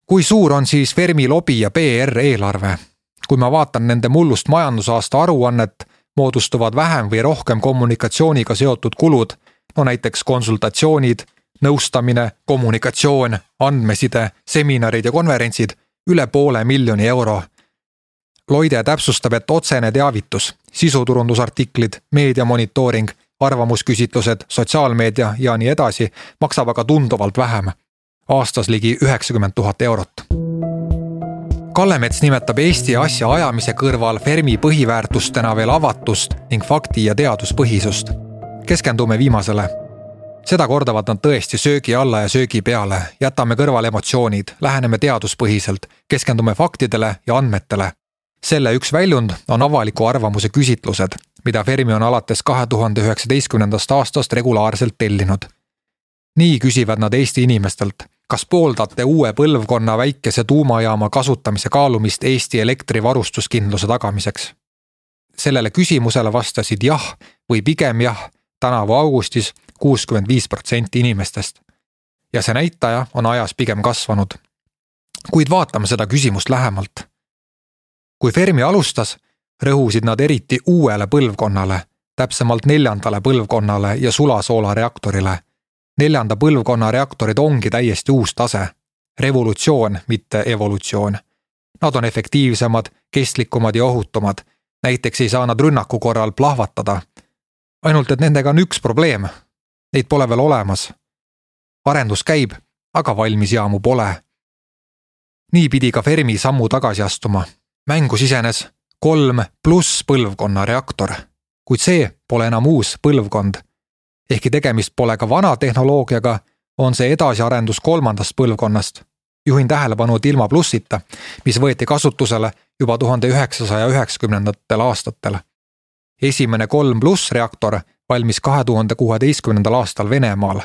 Kui suur on siis Fermi lobi ja PR eelarve? Kui ma vaatan nende mullust majandusaasta aruannet, moodustuvad vähem või rohkem kommunikatsiooniga seotud kulud, no näiteks konsultatsioonid, nõustamine, kommunikatsioon, andmeside, seminarid ja konverentsid, üle 500 000 euro. Loide täpsustab, et otsene teavitus, sisuturundusartiklid, meediamonitooring, arvamusküsitlused, sotsiaalmeedia ja nii edasi maksab aga tunduvalt vähem. Aastas ligi 90 000 eurot. Kallemets nimetab Eesti asja ajamise kõrval Fermi põhiväärtustena veel avatust ning fakti- ja teaduspõhisust. Keskendume viimasele. Seda kordavad nad tõesti söögi alla ja söögi peale, jätame kõrvale emotsioonid, läheneme teaduspõhiselt, keskendume faktidele ja andmetele. Selle üks väljund on avaliku arvamuse küsitlused, mida Fermi on alates 2019. aastast regulaarselt tellinud. Nii küsivad nad Eesti inimestelt, kas pooldate uue põlvkonna väikese tuumajaama kasutamise kaalumist Eesti elektrivarustuskindluse tagamiseks. Sellele küsimusele vastasid jah või pigem jah tänavu augustis 65% inimestest. Ja see näitaja on ajas pigem kasvanud. Kuid vaatame seda küsimust lähemalt. Kui Fermi alustas, rõhusid nad eriti uuele põlvkonnale, täpsemalt 4. põlvkonnale ja sulasoola reaktorile. 4. põlvkonna reaktorid ongi täiesti uus tase. Revolutsioon, mitte evolutsioon. Nad on efektiivsemad, kestlikumad ja ohutumad. Näiteks ei saa nad rünnaku korral plahvatada. Ainult, et nendega on üks probleem. Neid pole veel olemas. Arendus käib, aga valmis jaamu pole. Nii pidi ka Fermi sammu tagasi astuma. Mängu sisenes 3+ põlvkonna reaktor, kuid see pole enam uus põlvkond. Ehkki tegemist pole ka vana tehnoloogiaga, on see edasiarendus 3. põlvkonnast. Juhin tähelepanu, et ilma plussita, mis võeti kasutusele juba 1990. aastatel. Esimene 3+ reaktor valmis 2016. aastal Venemaal.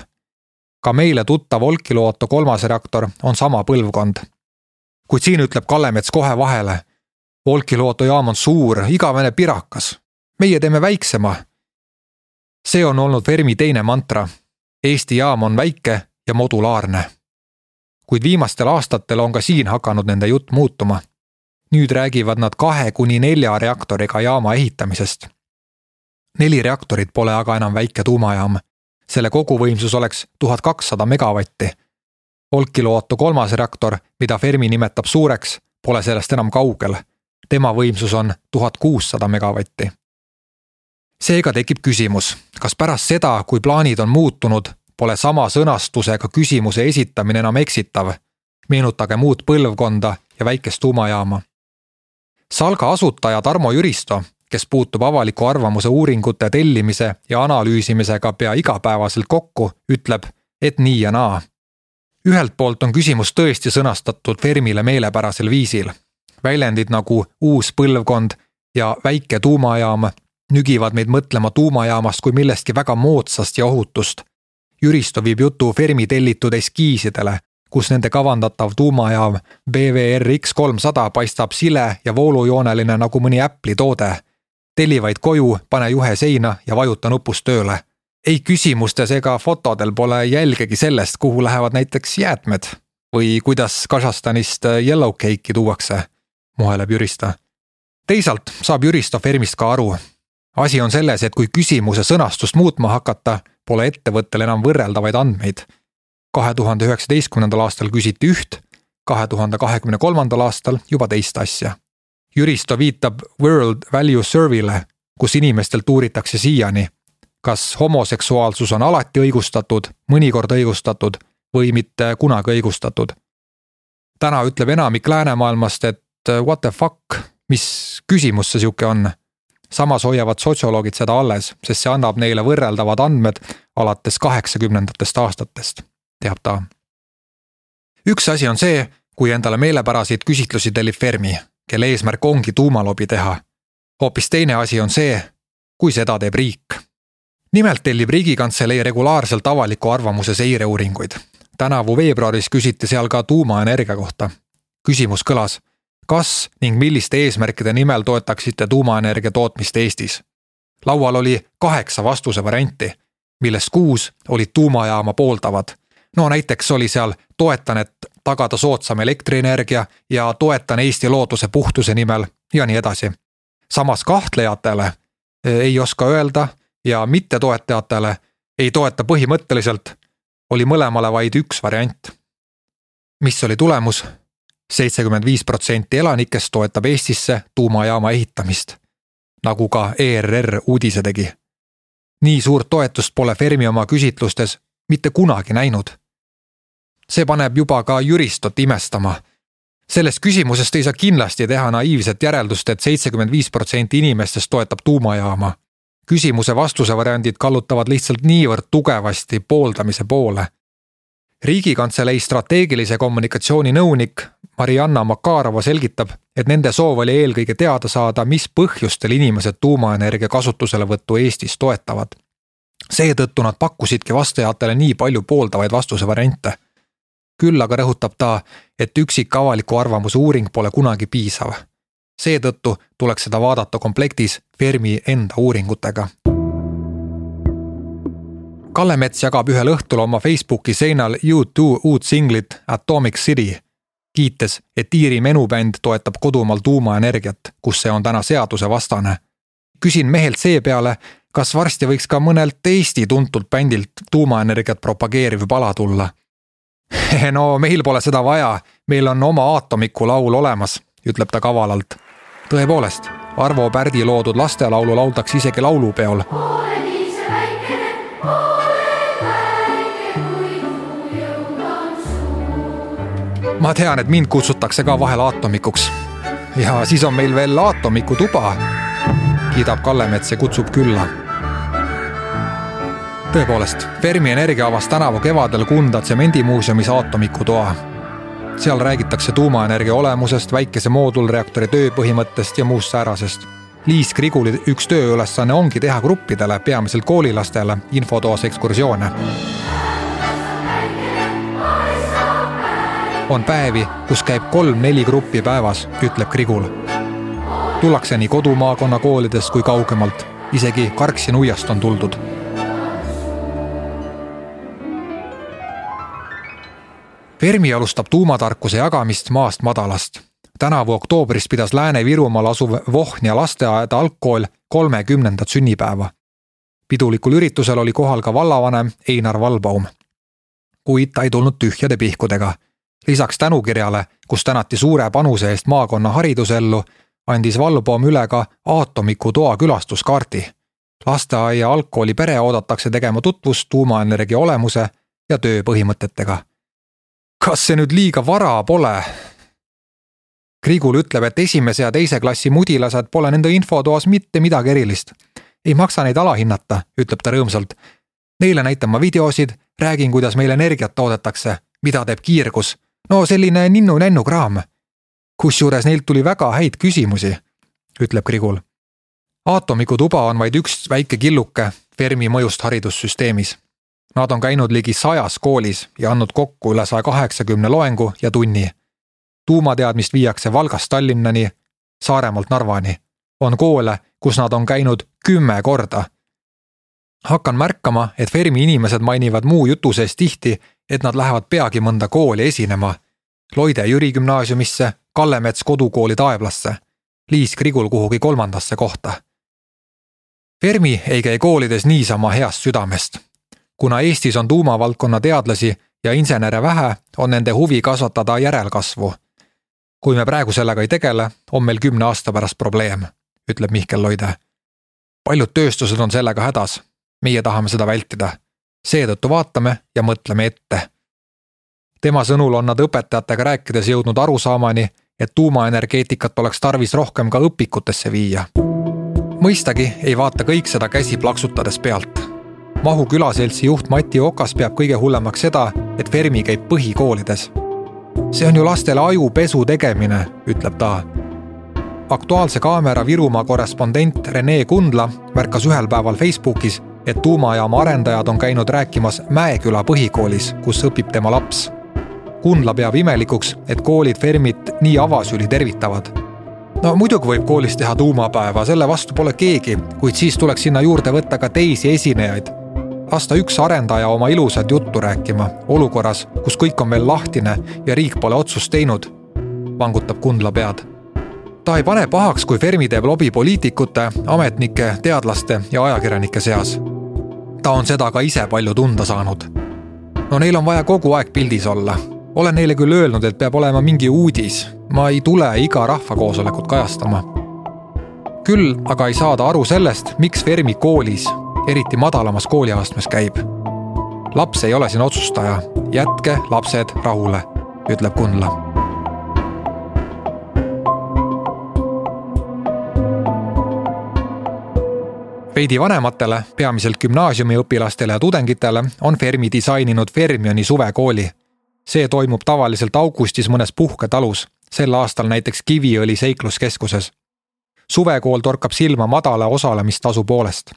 Ka meile tuttav Olkiluoto 3. reaktor on sama põlvkond. Kuid siin ütleb Kallemets kohe vahele. Olkiluoto jaam on suur, igavene pirakas. Meie teeme väiksema. See on olnud Fermi teine mantra. Eesti jaam on väike ja modulaarne. Kuid viimastel aastatel on ka siin hakanud nende jutt muutuma. Nüüd räägivad nad 2-4 reaktoriga jaama ehitamisest. 4 reaktorit pole aga enam väike tuumajaam. Selle koguvõimsus oleks 1200 megavatti. Olkiluoto 3. reaktor, mida Fermi nimetab suureks, pole sellest enam kaugel. Tema võimsus on 1600 megavatti. Seega tekib küsimus, kas pärast seda, kui plaanid on muutunud, pole sama sõnastusega küsimuse esitamine enam eksitav. Meenutage muud põlvkonda ja väikest tuumajaama. Salga asutaja Tarmo Jüristo, kes puutub avaliku arvamuse uuringute tellimise ja analüüsimisega pea igapäevaselt kokku, ütleb, et nii ja naa. Ühelt poolt on küsimus tõesti sõnastatud Fermile meelepärasel viisil. Väljendid nagu uus põlvkond ja väike tuumajaam nügivad meid mõtlema tuumajaamast kui millestki väga moodsast ja ohutust. Jüristo viib jutu Fermi tellitud eskiisidele, kus nende kavandatav tuumajaam BWRX 300 paistab sile ja voolujooneline nagu mõni Apple'i toode. Telli vaid koju, pane juhe seina ja vajuta nupust tööle. Ei küsimustes ega fotodel pole jälgegi sellest, kuhu lähevad näiteks jäätmed. või kuidas Kasahstanist yellow cake'i tuuakse, muheleb Jüristo. Teisalt saab Jüristo Fermist ka aru. Asi on selles, et kui küsimuse sõnastust muutma hakata, pole ettevõttel enam võrreldavaid andmeid. 2019. aastal küsiti üht, 2023. aastal juba teist asja. Jüristo viitab World Value Survey'le, kus inimestelt uuritakse siiani, kas homoseksuaalsus on alati õigustatud, mõnikord õigustatud või mitte kunagi õigustatud. Täna ütleb enamik läänemaailmast, et what the fuck, mis küsimus see siuke on. Samas hoiavad sotsioloogid seda alles, sest see annab neile võrreldavad andmed alates 80. aastatest, teab ta. Üks asi on see, kui endale meelepäraseid küsitlusi tellib Fermi, kelle eesmärk ongi tuumalobi teha. Hoopis teine asi on see, kui seda teeb riik. Nimelt tellib Riigikantselei regulaarselt avaliku arvamuse seireuuringuid. Tänavu veebruaris küsiti seal ka tuumaenergia kohta. Küsimus kõlas, kas ning milliste eesmärkide nimel toetaksite tuumaenergia tootmist Eestis? Laual oli 8 vastuse varianti, millest 6 olid tuumajaama pooldavad. No näiteks oli seal toetan, et tagada soodsam elektrienergia ja toetan Eesti looduse puhtuse nimel ja nii edasi. Samas kahtlejatele ei oska öelda ja mittetoetajatele ei toeta põhimõtteliselt, oli mõlemale vaid üks variant. Mis oli tulemus? 75% elanikest toetab Eestisse tuumajaama ehitamist, nagu ka ERR uudise tegi. Nii suurt toetust pole Fermi oma küsitlustes mitte kunagi näinud. See paneb juba ka Jüristot imestama. Sellest küsimusest ei saa kindlasti teha naiivset järeldust, et 75% inimestest toetab tuumajaama. Küsimuse vastuse variandid kallutavad lihtsalt niivõrd tugevasti pooldamise poole. Riigikantselei strateegilise kommunikatsiooni nõunik Marianna Makarova selgitab, et nende soov oli eelkõige teada saada, mis põhjustel inimesed tuumaenergia kasutuselevõttu Eestis toetavad. Seetõttu nad pakkusidki vastajatele nii palju pooldavaid vastuse variante. Küll aga rõhutab ta, et üksik avaliku arvamuse uuring pole kunagi piisav. Seetõttu tuleks seda vaadata komplektis Fermi enda uuringutega. Kallemets jagab ühel õhtul oma Facebooki seinal U2 uut singlit Atomic City, kiites, et Iiri menubänd toetab kodumaal tuumaenergiat, kus see on täna seaduse vastane. Küsin mehelt seepeale, kas varsti võiks ka mõnelt Eesti tuntult bändilt tuumaenergiat propageeriv pala tulla. No meil pole seda vaja, meil on oma Atomiku laul olemas, ütleb ta kavalalt. Tõepoolest, Arvo Pärdi loodud lastelaulu lauldakse isegi laulupeol. Ma tean, et mind kutsutakse ka vahel Atomikuks. Ja siis on meil veel Atomiku tuba, kiidab Kallemets ja kutsub külla. Tõepoolest, Fermi Energia avas tänavu kevadel Kunda tsemendimuuseumis Atomiku toa. Seal räägitakse tuumaenergia olemusest, väikese moodulreaktori tööpõhimõttest ja muust säärasest. Liis Kriguli üks tööülesanne ongi teha gruppidele, peamiselt koolilastele, infotoas ekskursioone. On päevi, kus käib 3-4 gruppi päevas, ütleb Krigul. Tullakse nii kodumaakonna koolidest kui kaugemalt, isegi Karksi nuiast on tuldud. Fermi alustab tuumatarkuse jagamist maast madalast. Tänavu oktoobris pidas Lääne-Virumaal asuv Vohnia lasteaed algkool 30. sünnipäeva. Pidulikul üritusel oli kohal ka vallavanem Einar Valbaum. Kuid ta ei tulnud tühjade pihkudega. Lisaks tänukirjale, kus tänati suure panuse eest maakonna haridusellu, andis Valbaum üle ka Atomiku toa külastuskaarti. Lasteaia algkooli pere oodatakse tegema tutvust tuumaenergia olemuse ja töö põhimõtetega. Kas see nüüd liiga vara pole? Krigul ütleb, et esimese ja teise klassi mudilased pole nende infotoas mitte midagi erilist. Ei maksa neid alahinnata, ütleb ta rõõmsalt. Neile näitan ma videosid, räägin, kuidas meil energiat toodetakse, mida teeb kiirgus. No selline ninnu-nännu kraam. Kusjuures neilt tuli väga häid küsimusi, ütleb Krigul. Atomiku tuba on vaid üks väike killuke Fermi mõjust haridussüsteemis. Nad on käinud ligi 100 koolis ja andnud kokku üle 180 loengu ja tunni. Tuumateadmist viiakse Valgast Tallinnani, Saaremaalt Narvani. On koole, kus nad on käinud 10 korda. Hakkan märkama, et Fermi inimesed mainivad muu jutu sees tihti, et nad lähevad peagi mõnda kooli esinema. Loide Jüri gümnaasiumisse, Kallemets kodukooli Taevlasse, Liis Krigul kuhugi 3. kohta. Fermi ei käi koolides niisama heast südamest. Kuna Eestis on tuumavaldkonna teadlasi ja insenere vähe, on nende huvi kasvatada järelkasvu. Kui me praegu sellega ei tegele, on meil 10 aasta pärast probleem, ütleb Mihkel Loide. Paljud tööstused on sellega hädas. Meie tahame seda vältida. Seetõttu vaatame ja mõtleme ette. Tema sõnul on nad õpetajatega rääkides jõudnud arusaamani, et tuumaenergeetikat oleks tarvis rohkem ka õpikutesse viia. Mõistagi ei vaata kõik seda käsi plaksutades pealt. Mahu külaseltsi juht Mati Okas peab kõige hullemaks seda, et Fermi käib põhikoolides. See on ju lastele ajupesu tegemine, ütleb ta. Aktuaalse kaamera Virumaa korrespondent Rene Kundla märkas ühel päeval Facebookis, et tuumajaama arendajad on käinud rääkimas Mäeküla põhikoolis, kus õpib tema laps. Kundla peab imelikuks, et koolid Fermit nii avasüli tervitavad. No muidugi võib koolis teha tuumapäeva, selle vastu pole keegi, kuid siis tuleks sinna juurde võtta ka teisi esinejaid. Lasta üks arendaja oma ilusat juttu rääkima, olukorras, kus kõik on veel lahtine ja riik pole otsust teinud, vangutab Kundla pead. Ta ei pane pahaks, kui Fermi teeb lobi poliitikute, ametnike, teadlaste ja ajakirjanike seas. Ta on seda ka ise palju tunda saanud. No neil on vaja kogu aeg pildis olla. Olen neile küll öelnud, et peab olema mingi uudis. Ma ei tule iga rahvakoosolekut kajastama. Küll aga ei saada aru sellest, miks Fermi koolis, eriti madalamas kooliastmes käib. Laps ei ole siin otsustaja. Jätke lapsed rahule, ütleb Kundla. Veidi vanematele, peamiselt gümnaasiumiõpilastele ja tudengitele on Fermi disaininud Fermioni suvekooli. See toimub tavaliselt augustis mõnes puhketalus, sel aastal näiteks Kiviõli seikluskeskuses. Suvekool torkab silma madala osalemistasu poolest.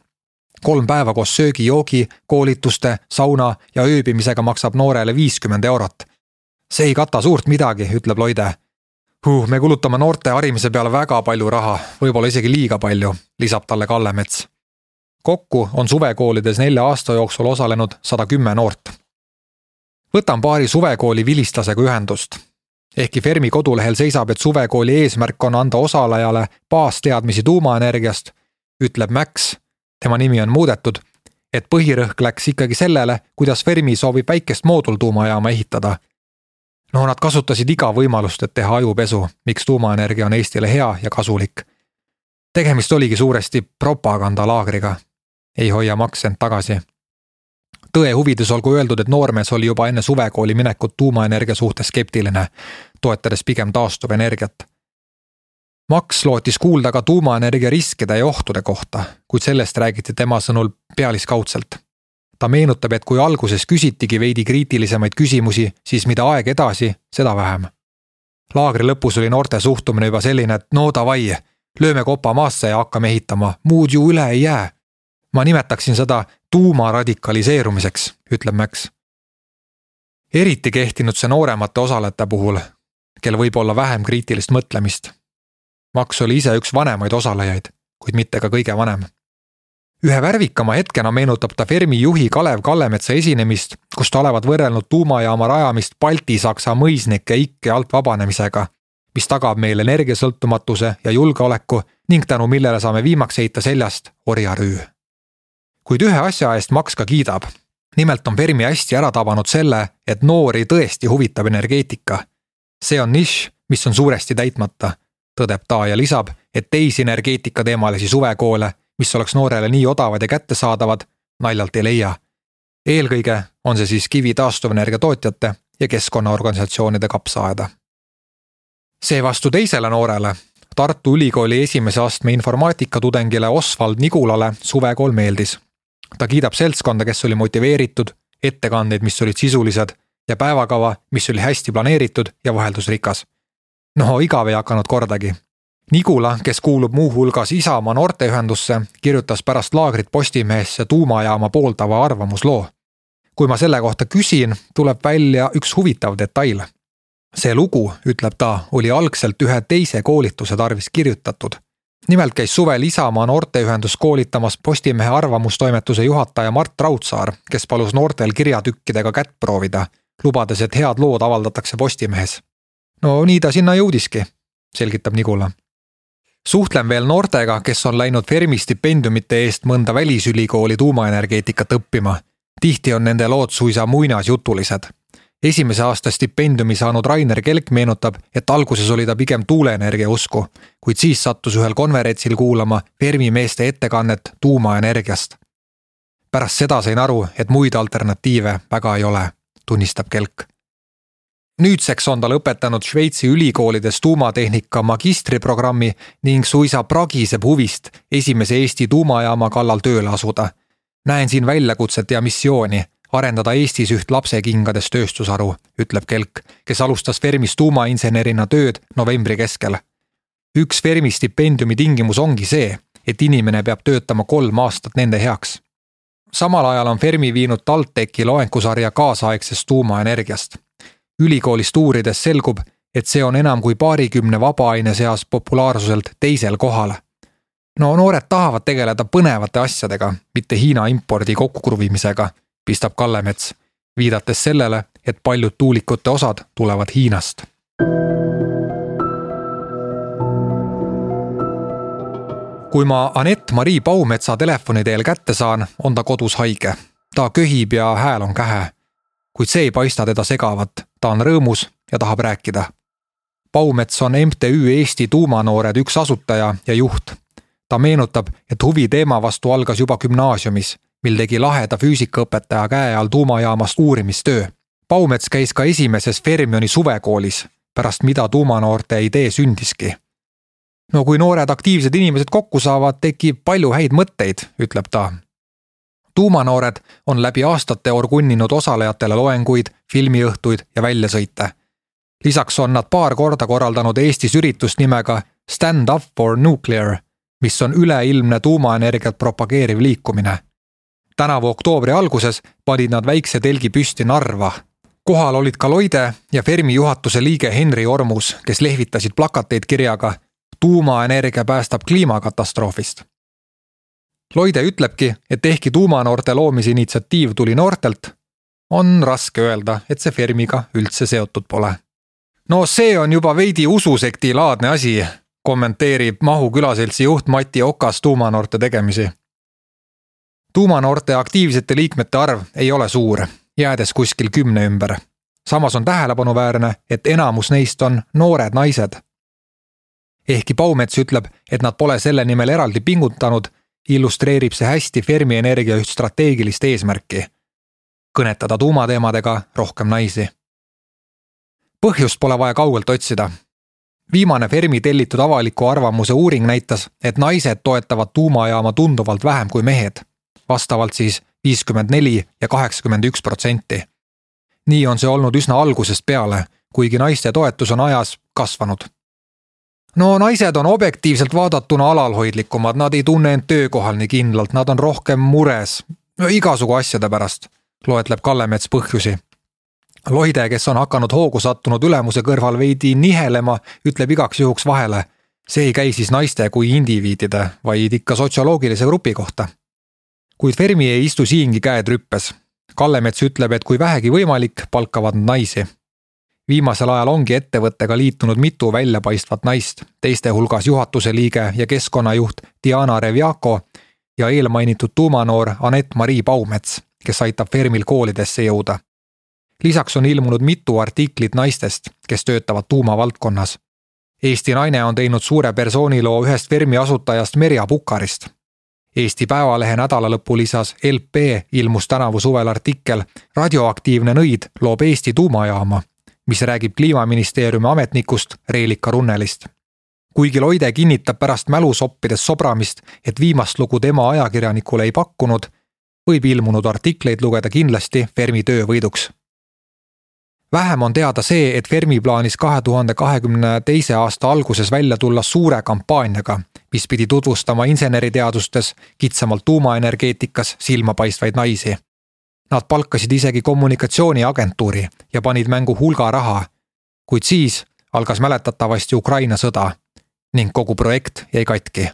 3 päeva koos söögi, joogi, koolituste, sauna ja ööbimisega maksab noorele 50 eurot. See ei kata suurt midagi, ütleb Loide. Me kulutame noorte harimise peale väga palju raha, võib-olla isegi liiga palju, lisab talle Kallemets. Kokku on suvekoolides 4 aasta jooksul osalenud 110 noort. Võtan paari suvekooli vilistlasega ühendust. Ehkki Fermi kodulehel seisab, et suvekooli eesmärk on anda osalejale baasteadmisi tuumaenergiast, ütleb Max, tema nimi on muudetud, et põhirõhk läks ikkagi sellele, kuidas Fermi soovib väikest moodultuumajaama ehitada. No nad kasutasid iga võimalust, et teha ajupesu, miks tuumaenergia on Eestile hea ja kasulik. Tegemist oligi suuresti propagandalaagriga. Ei hoia Max end tagasi. Tõe huvides olgu öeldud, et noormees oli juba enne suvekooli minekut tuumaenergia suhtes skeptiline, toetades pigem taastuvenergiat. Max lootis kuulda ka tuumaenergia riskide ja ohtude kohta, kuid sellest räägiti tema sõnul pealiskaudselt. Ta meenutab, et kui alguses küsitigi veidi kriitilisemaid küsimusi, siis mida aeg edasi, seda vähem. Laagri lõpus oli noorte suhtumine juba selline, et no davai, lööme kopa maasse ja hakkame ehitama, muud ju üle ei jää. Ma nimetaksin seda tuumaradikaliseerumiseks, ütleb Max. Eriti kehtinud see nooremate osalejate puhul, kel võib olla vähem kriitilist mõtlemist. Max oli ise üks vanemaid osalejaid, kuid mitte ka kõige vanem. Ühe värvikama hetkena meenutab ta Fermi juhi Kalev Kallemetsa esinemist, kus ta olevat võrrelnud tuumajaama rajamist Balti-Saksa mõisnike ikke alt vabanemisega, mis tagab meil energiasõltumatuse ja julgeoleku ning tänu millele saame viimaks heita seljast orjarüü. Kuid ühe asja eest Max ka kiidab. Nimelt on Fermi hästi ära tabanud selle, et noori tõesti huvitab energeetika. See on nišš, mis on suuresti täitmata, tõdeb ta ja lisab, et teisi energeetika teemalisi suvekoole, mis oleks noorele nii odavad ja kättesaadavad, naljalt ei leia. Eelkõige on see siis kivi taastuvenergia tootjate ja keskkonnaorganisatsioonide kapsaaeda. Seevastu teisele noorele, Tartu Ülikooli esimese astme informaatikatudengile Osvald Nigulale suvekool meeldis. Ta kiidab seltskonda, kes oli motiveeritud, ettekandeid, mis olid sisulised ja päevakava, mis oli hästi planeeritud ja vaheldusrikas. No igav ei hakanud kordagi. Nigula, kes kuulub muu hulgas Isamaa noorteühendusse, kirjutas pärast laagrit Postimehesse tuumajaama pooldava arvamusloo. Kui ma selle kohta küsin, tuleb välja üks huvitav detail. See lugu, ütleb ta, oli algselt ühe teise koolituse tarvis kirjutatud. Nimelt käis suvel Isamaa noorteühendus koolitamas Postimehe arvamustoimetuse juhataja Mart Raudsaar, kes palus noortel kirjatükkidega kätt proovida, lubades, et head lood avaldatakse Postimehes. No nii ta sinna jõudiski, selgitab Nigula. Suhtlen veel noortega, kes on läinud Fermi stipendiumite eest mõnda välisülikooli tuumaenergeetikat õppima. Tihti on nende lood suisa muinasjutulised. Esimese aasta stipendiumi saanud Rainer Kelk meenutab, et alguses oli ta pigem tuuleenergia usku, kuid siis sattus ühel konverentsil kuulama Fermi meeste ettekannet tuumaenergiast. Pärast seda sain aru, et muid alternatiive väga ei ole, tunnistab Kelk. Nüüdseks on ta lõpetanud Šveitsi ülikoolides tuumatehnika magistriprogrammi ning suisa pragiseb huvist esimese Eesti tuumajaama kallal tööle asuda. Näen siin väljakutset ja missiooni arendada Eestis üht lapsekingades tööstusaru, ütleb Kelk, kes alustas Fermis tuumainsenerina tööd novembri keskel. Üks Fermi stipendiumi tingimus ongi see, et inimene peab töötama 3 aastat nende heaks. Samal ajal on Fermi viinud TalTechi loengusarja kaasaegsest tuumaenergiast. Ülikoolist uurides selgub, et see on enam kui 20 vabaaine seas populaarsuselt teisel kohal. No noored tahavad tegeleda põnevate asjadega, mitte Hiina impordi kokkukruvimisega, pistab Kallemets, viidates sellele, et paljud tuulikute osad tulevad Hiinast. Kui ma Anett-Marii Paumetsa telefoni teel kätte saan, on ta kodus haige. Ta köhib ja hääl on kähe. Kuid see ei paista teda segavat, ta on rõõmus ja tahab rääkida. Paumets on MTÜ Eesti tuumanoored üks asutaja ja juht. Ta meenutab, et huvi teema vastu algas juba gümnaasiumis, mil tegi laheda füüsikaõpetaja käe all tuumajaamast uurimistöö. Paumets käis ka esimeses Fermioni suvekoolis, pärast mida tuumanoorte idee sündiski. No kui noored aktiivsed inimesed kokku saavad, tekib palju häid mõtteid, ütleb ta. Tuumanoored on läbi aastate orgunninud osalejatele loenguid, filmiõhtuid ja väljasõite. Lisaks on nad paar korda korraldanud Eestis üritust nimega Stand Up for Nuclear, mis on üleilmne tuumaenergiat propageeriv liikumine. Tänavu oktoobri alguses panid nad väikse telgi püsti Narva. Kohal olid ka Loide ja Fermi juhatuse liige Henri Ormus, kes lehvitasid plakateid kirjaga Tuumaenergia päästab kliimakatastroofist. Loide ütlebki, et ehkki tuumanoorte loomise initsiatiiv tuli noortelt, on raske öelda, et see Fermiga üldse seotud pole. No see on juba veidi ususekti laadne asi, kommenteerib Mahu külaseltsi juht Mati Okas tuumanoorte tegemisi. Tuumanoorte aktiivsete liikmete arv ei ole suur, jäädes kuskil 10 ümber. Samas on tähelepanuväärne, et enamus neist on noored naised. Ehkki Paumets ütleb, et nad pole selle nimel eraldi pingutanud, illustreerib see hästi Fermi Energia üht strateegilist eesmärki. Kõnetada tuumateemadega rohkem naisi. Põhjust pole vaja kaugelt otsida. Viimane Fermi tellitud avaliku arvamuse uuring näitas, et naised toetavad tuumajaama tunduvalt vähem kui mehed, vastavalt siis 54 ja 81%. Nii on see olnud üsna algusest peale, kuigi naiste toetus on ajas kasvanud. No naised on objektiivselt vaadatuna alalhoidlikumad, nad ei tunne end töökohal nii kindlalt, nad on rohkem mures, igasugu asjade pärast, loetleb Kallemets põhjusi. Loide, kes on hakanud hoogu sattunud ülemuse kõrval veidi nihelema, ütleb igaks juhuks vahele. See ei käi siis naiste kui indiviidide, vaid ikka sotsioloogilise grupi kohta. Kuid Fermi ei istu siingi käed rüppes. Kallemets ütleb, et kui vähegi võimalik, palkavad naisi. Viimasel ajal ongi ettevõttega liitunud mitu väljapaistvat naist, teiste hulgas juhatuse liige ja keskkonnajuht Diana Revjako ja eelmainitud tuumanoor Anett-Marii Paumets, kes aitab Fermil koolidesse jõuda. Lisaks on ilmunud mitu artiklit naistest, kes töötavad tuumavaldkonnas. Eesti Naine on teinud suure persooniloo ühest Fermi asutajast Merja Pukarist. Eesti Päevalehe nädalalõpu lisas LP ilmus tänavu suvel artikkel Radioaktiivne nõid loob Eesti tuumajaama, mis räägib Kliimaministeeriumi ametnikust Reelika Runnelist. Kuigi Loide kinnitab pärast mälusoppides sobramist, et viimast lugu tema ajakirjanikule ei pakkunud, võib ilmunud artikleid lugeda kindlasti Fermi töövõiduks. Vähem on teada see, et Fermi plaanis 2022. aasta alguses välja tulla suure kampaaniaga, mis pidi tutvustama inseneriteadustes, kitsamalt tuumaenergeetikas silmapaistvaid naisi. Nad palkasid isegi kommunikatsiooniagentuuri ja panid mängu hulga raha, kuid siis algas mäletatavasti Ukraina sõda ning kogu projekt jäi katki.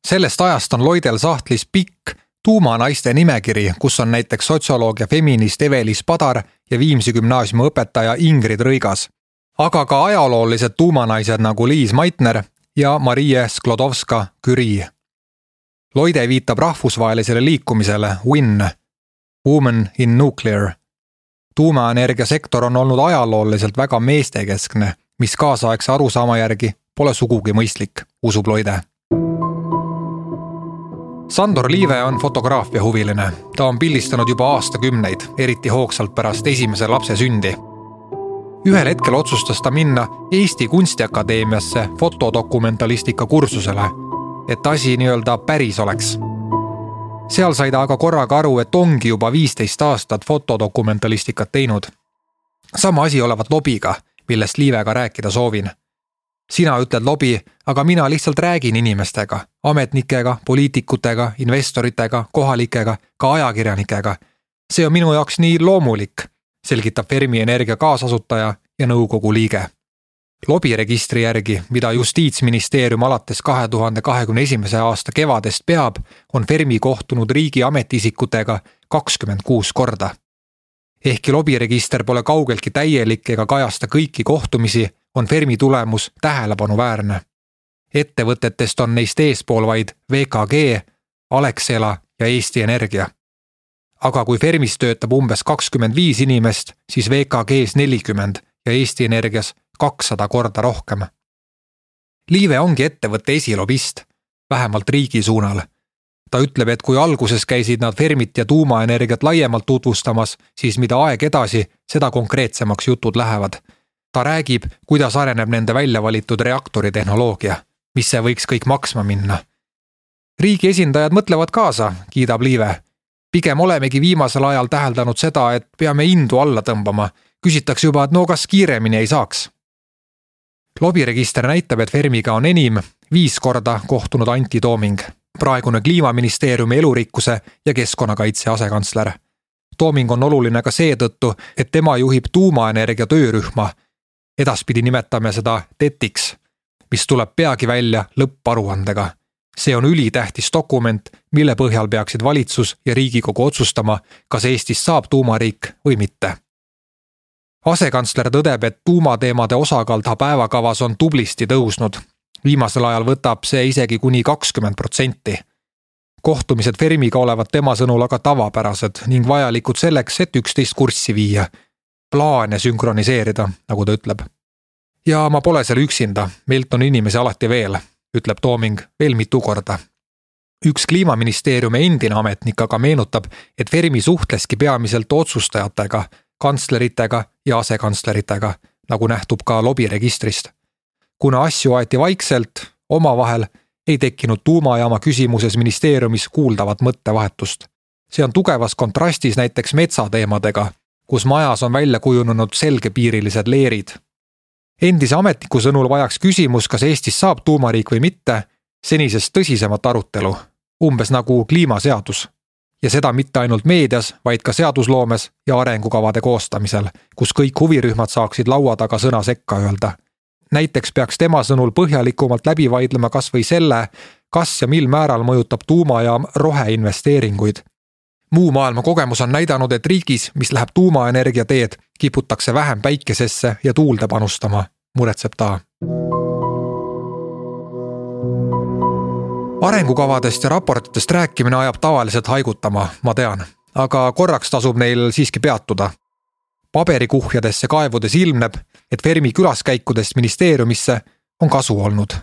Sellest ajast on Loidel sahtlis pikk tuumanaiste nimekiri, kus on näiteks sotsioloog ja feminist Evelis Padar ja Viimsi gümnaasiumi õpetaja Ingrid Rõigas, aga ka ajaloolised tuumanaised nagu Liis Meitner ja Marie Sklodowska-Curie. Loide viitab rahvusvahelisele liikumisele WIN, Women in Nuclear. Tuumaenergiasektor on olnud ajalooliselt väga meestekeskne, mis kaasaegse arusaama järgi pole sugugi mõistlik, usub Loide. Sandor Liive on fotograafiahuviline. Ta on pildistanud juba aastakümneid, eriti hoogsalt pärast esimese lapse sündi. Ühel hetkel otsustas ta minna Eesti Kunstiakadeemiasse fotodokumentalistika kursusele, et asi nii-öelda päris oleks. Seal sai ta aga korraga aru, et ongi juba 15 aastat fotodokumentalistikat teinud. Sama asi olevat lobiga, millest Liivega rääkida soovin. Sina ütled lobi, aga mina lihtsalt räägin inimestega, ametnikega, poliitikutega, investoritega, kohalikega, ka ajakirjanikega. See on minu jaoks nii loomulik, selgitab Fermi Energia kaasasutaja ja nõukogu liige. Lobiregistri järgi, mida Justiitsministeerium alates 2021. aasta kevadest peab, on Fermi kohtunud riigi ametiisikutega 26 korda. Ehkki lobiregister pole kaugeltki täielik ega kajasta kõiki kohtumisi, on Fermi tulemus tähelepanuväärne. Ettevõtetest on neist eespool vaid VKG, Alexela ja Eesti Energia. Aga kui Fermis töötab umbes 25 inimest, siis VKGs 40 ja Eesti Energias 200 korda rohkem. Liive ongi ettevõtte esilobist, vähemalt riigi suunal. Ta ütleb, et kui alguses käisid nad Fermit ja tuumaenergiat laiemalt tutvustamas, siis mida aeg edasi, seda konkreetsemaks jutud lähevad. Ta räägib, kuidas areneb nende väljavalitud reaktoritehnoloogia, mis see võiks kõik maksma minna. Riigi esindajad mõtlevad kaasa, kiidab Liive. Pigem olemegi viimasel ajal täheldanud seda, et peame indu alla tõmbama. Küsitakse juba, et no kas kiiremini ei saaks. Lobiregister näitab, et Fermiga on enim 5 korda kohtunud Antti Tooming, praegune Kliimaministeeriumi elurikkuse ja keskkonnakaitse asekantsler. Tooming on oluline ka seetõttu, et tema juhib tuumaenergia töörühma. Edaspidi nimetame seda TETiks, mis tuleb peagi välja lõpparuandega. See on ülitähtis dokument, mille põhjal peaksid valitsus ja Riigikogu otsustama, kas Eestis saab tuumariik või mitte. Asekantsler tõdeb, et tuumateemade osakaal ta päevakavas on tublisti tõusnud. Viimasel ajal võtab see isegi kuni 20%. Kohtumised Fermiga olevat tema sõnul aga tavapärased ning vajalikud selleks, et üksteist kurssi viia. Plaane sünkroniseerida, nagu ta ütleb. Ja ma pole seal üksinda, meilt on inimesi alati veel, ütleb Tooming veel mitu korda. Üks Kliimaministeeriumi endine ametnik aga meenutab, et Fermi suhtleski peamiselt otsustajatega, kantsleritega ja asekantsleritega, nagu nähtub ka lobiregistrist. Kuna asju aeti vaikselt, omavahel ei tekkinud tuumajaama küsimuses ministeeriumis kuuldavat mõttevahetust. See on tugevas kontrastis näiteks metsateemadega, kus majas on välja kujunenud selgepiirilised leerid. Endise ametniku sõnul vajaks küsimus, kas Eestis saab tuumariik või mitte, senisest tõsisemat arutelu, umbes nagu kliimaseadus. Ja seda mitte ainult meedias, vaid ka seadusloomes ja arengukavade koostamisel, kus kõik huvirühmad saaksid laua taga sõna sekka öelda. Näiteks peaks tema sõnul põhjalikumalt läbi vaidlema kas või selle, kas ja mil määral mõjutab tuumajaam roheinvesteeringuid. Muu maailma kogemus on näidanud, et riigis, mis läheb tuumaenergia teed, kiputakse vähem päikesesse ja tuulde panustama, muretseb ta. Arengukavadest ja raportitest rääkimine ajab tavaliselt haigutama, ma tean, aga korraks tasub neil siiski peatuda. Paberikuhjadesse kaevudes ilmneb, et Fermi külaskäikudest ministeeriumisse on kasu olnud.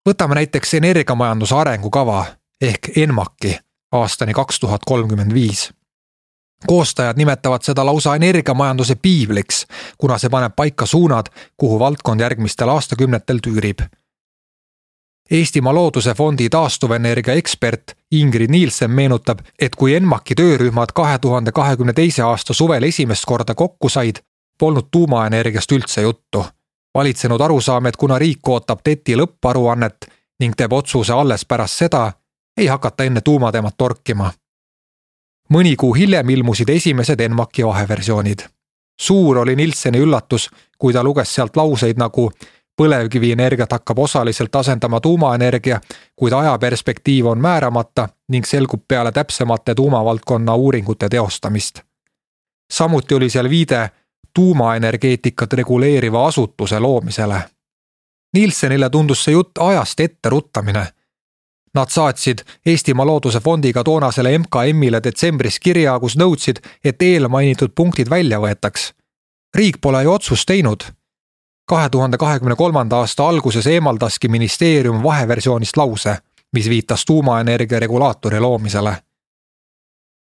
Võtame näiteks energiamajanduse arengukava ehk ENMAK-i aastani 2035. Koostajad nimetavad seda lausa energiamajanduse piibliks, kuna see paneb paika suunad, kuhu valdkond järgmistel aastakümnetel tüürib. Eestimaa Looduse Fondi taastuvenergia ekspert Ingrid Nielsen meenutab, et kui ENMAK-i töörühmad 2022. aasta suvel esimest korda kokku said, polnud tuumaenergiast üldse juttu. Valitsenud arusaam, et kuna riik ootab TETi lõpparuannet ning teeb otsuse alles pärast seda, ei hakata enne tuumateemat torkima. Mõni kuu hiljem ilmusid esimesed ENMAK-i vaheversioonid. Suur oli Nielseni üllatus, kui ta luges sealt lauseid nagu põlevkivienergiat hakkab osaliselt asendama tuumaenergia, kuid ajaperspektiiv on määramata ning selgub peale täpsemate tuumavaldkonna uuringute teostamist. Samuti oli seal viide tuumaenergeetikat reguleeriva asutuse loomisele. Nielsenile tundus see jutt ajast ette ruttamine. Nad saatsid Eestimaa Looduse Fondiga toonasele MKMile detsembris kirja, kus nõudsid, et eelmainitud punktid välja võetaks. Riik pole ju otsust teinud. 2023. aasta alguses eemaldaski ministeerium vaheversioonist lause, mis viitas tuumaenergia regulaatori loomisele.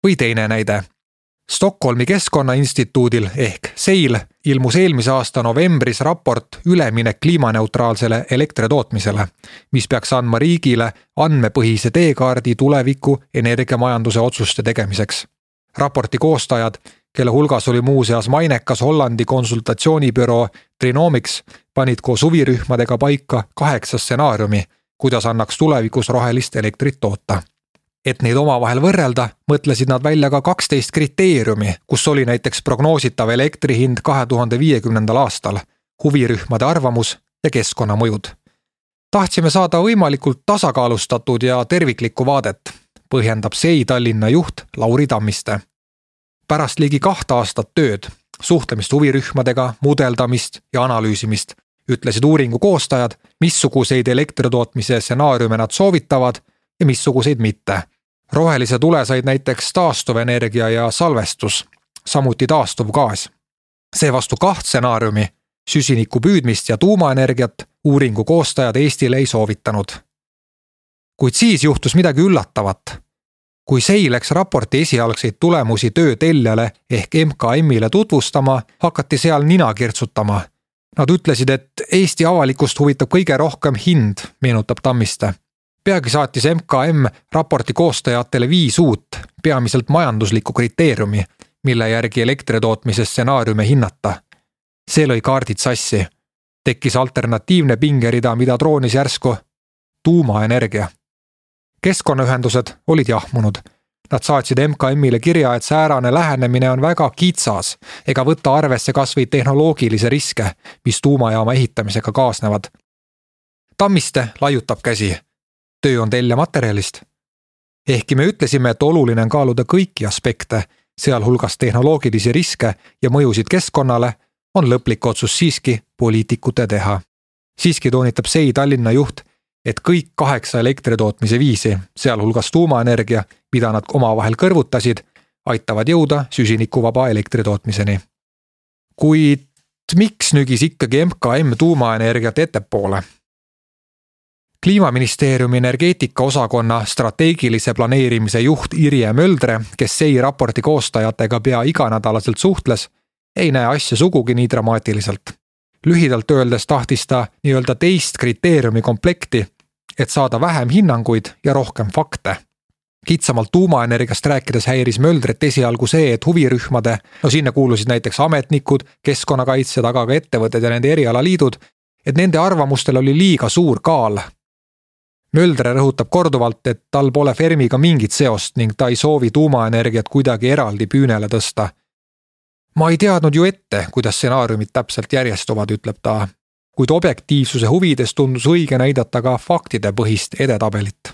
Või teine näide. Stockholmi Keskkonnainstituudil ehk SEIL ilmus eelmise aasta novembris raport Üleminek kliimaneutraalsele elektritootmisele, mis peaks andma riigile andmepõhise teekaardi tuleviku energiamajanduse otsuste tegemiseks. Raporti koostajad, kelle hulgas oli muuseas mainekas Hollandi konsultatsioonibüroo Trinomics, panid koos huvirühmadega paika 8 stsenaariumi, kuidas annaks tulevikus rohelist elektrit toota. Et neid omavahel võrrelda, mõtlesid nad välja ka 12 kriteeriumi, kus oli näiteks prognoositav elektrihind 2050. aastal, huvirühmade arvamus ja keskkonnamõjud. Tahtsime saada võimalikult tasakaalustatud ja terviklikku vaadet, põhjendab SEI Tallinna juht Lauri Tammiste. Pärast ligi 2 aastat tööd, suhtlemist huvirühmadega, mudeldamist ja analüüsimist, ütlesid uuringu koostajad, missuguseid elektritootmise stsenaariume nad soovitavad ja missuguseid mitte. Rohelise tule said näiteks taastuvenergia ja salvestus, samuti taastuv gaas. Seevastu 2 stsenaariumi, süsiniku püüdmist ja tuumaenergiat, uuringu koostajad Eestile ei soovitanud. Kuid siis juhtus midagi üllatavat. Kui SEI läks raporti esialgseid tulemusi töötelljale ehk MKMile tutvustama, hakati seal nina kirtsutama. Nad ütlesid, et Eesti avalikust huvitab kõige rohkem hind, meenutab Tammiste. Peagi saatis MKM raporti koostajatele 5 uut, peamiselt majanduslikku kriteeriumi, mille järgi elektritootmise stsenaariume hinnata. See lõi kaardid sassi. Tekkis alternatiivne pingerida, mida troonis järsku tuumaenergia. Keskkonnaühendused olid jahmunud. Nad saatsid MKMile kirja, et säärane lähenemine on väga kitsas ega võtta arvesse kas või tehnoloogilise riske, mis tuumajaama ehitamisega kaasnevad. Tammiste laiutab käsi. Töö on telljamaterjalist. Ehkki me ütlesime, et oluline on kaaluda kõiki aspekte, sealhulgas tehnoloogilisi riske ja mõjusid keskkonnale, on lõplik otsus siiski poliitikute teha. Siiski toonitab SEI Tallinna juht, et kõik 8 elektritootmise viisi, sealhulgas tuumaenergia, mida nad omavahel kõrvutasid, aitavad jõuda süsinikuvaba elektritootmiseni. Kuid miks nügis ikkagi MKM tuumaenergiat ettepoole? Kliimaministeeriumi energeetikaosakonna strateegilise planeerimise juht Irje Möldre, kes SEI raporti koostajatega pea iganädalaselt suhtles, ei näe asja sugugi nii dramaatiliselt. Lühidalt öeldes tahtis ta nii-öelda teist kriteeriumi komplekti, et saada vähem hinnanguid ja rohkem fakte. Kitsamalt tuumaenergiast rääkides häiris Möldret esialgu see, et huvirühmade, sinna kuulusid näiteks ametnikud, keskkonnakaitsjad, aga ka ettevõtted ja nende erialaliidud, et nende arvamustel oli liiga suur kaal. Möldre rõhutab korduvalt, et tal pole Fermiga mingit seost ning ta ei soovi tuumaenergiat kuidagi eraldi püünele tõsta. Ma ei teadnud ju ette, kuidas stsenaariumid täpselt järjestuvad, ütleb ta, kuid objektiivsuse huvides tundus õige näidata ka faktide põhist edetabelit.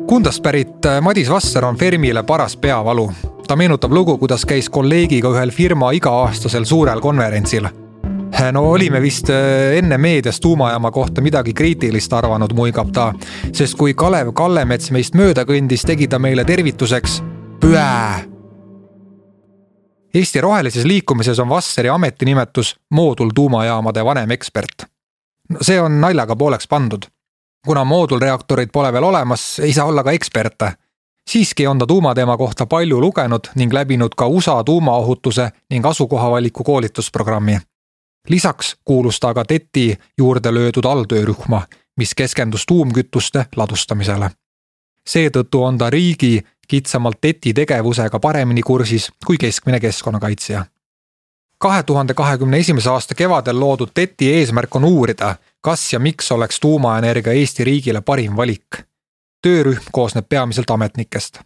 Kundast pärit Madis Vasser on Fermile paras peavalu. Ta meenutab lugu, kuidas käis kolleegiga ühel firma iga-aastasel suurel konverentsil. No olime vist enne meedias tuumajaama kohta midagi kriitilist arvanud, muigab ta, sest kui Kalev Kallemets meist mööda kõndis, tegi ta meile tervituseks püää. Eesti rohelises liikumises on Vasseri ametinimetus moodultuumajaamade vanem ekspert. See on naljaga pooleks pandud. Kuna moodulreaktorid pole veel olemas, ei saa olla ka eksperte. Siiski on ta tuumateema kohta palju lugenud ning läbinud ka USA tuumaohutuse ning asukohavaliku koolitusprogrammi. Lisaks kuulus ta ka TETi juurde löödud alltöörühma, mis keskendus tuumkütuste ladustamisele. Seetõttu on ta riigi kitsamalt TETi tegevusega paremini kursis kui keskmine keskkonnakaitsja. 2021. aasta kevadel loodud TETi eesmärk on uurida, kas ja miks oleks tuumaenergia Eesti riigile parim valik. Töörühm koosneb peamiselt ametnikest.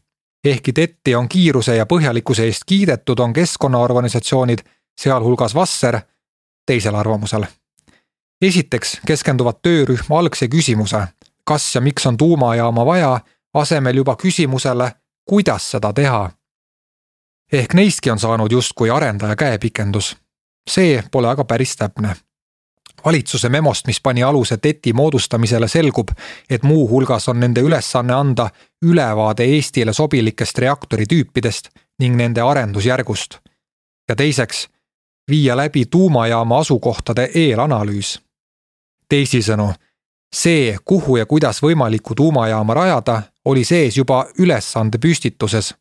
Ehkki TETi on kiiruse ja põhjalikkuse eest kiidetud, on keskkonnaorganisatsioonid, sealhulgas Vasser, teisel arvamusel. Esiteks keskenduvad töörühm algse küsimuse, kas ja miks on tuumajaama vaja, asemel juba küsimusele, kuidas seda teha. Ehk neistki on saanud justkui arendaja käepikendus. See pole aga päris täpne. Valitsuse memost, mis pani aluse TET-i moodustamisele, selgub, et muu hulgas on nende ülesanne anda ülevaade Eestile sobilikest reaktoritüüpidest ning nende arendusjärgust. Ja teiseks, viia läbi tuumajaama asukohtade eelanalüüs. Teisisõnu, see, kuhu ja kuidas võimalikku tuumajaama rajada, oli sees juba ülesande püstituses.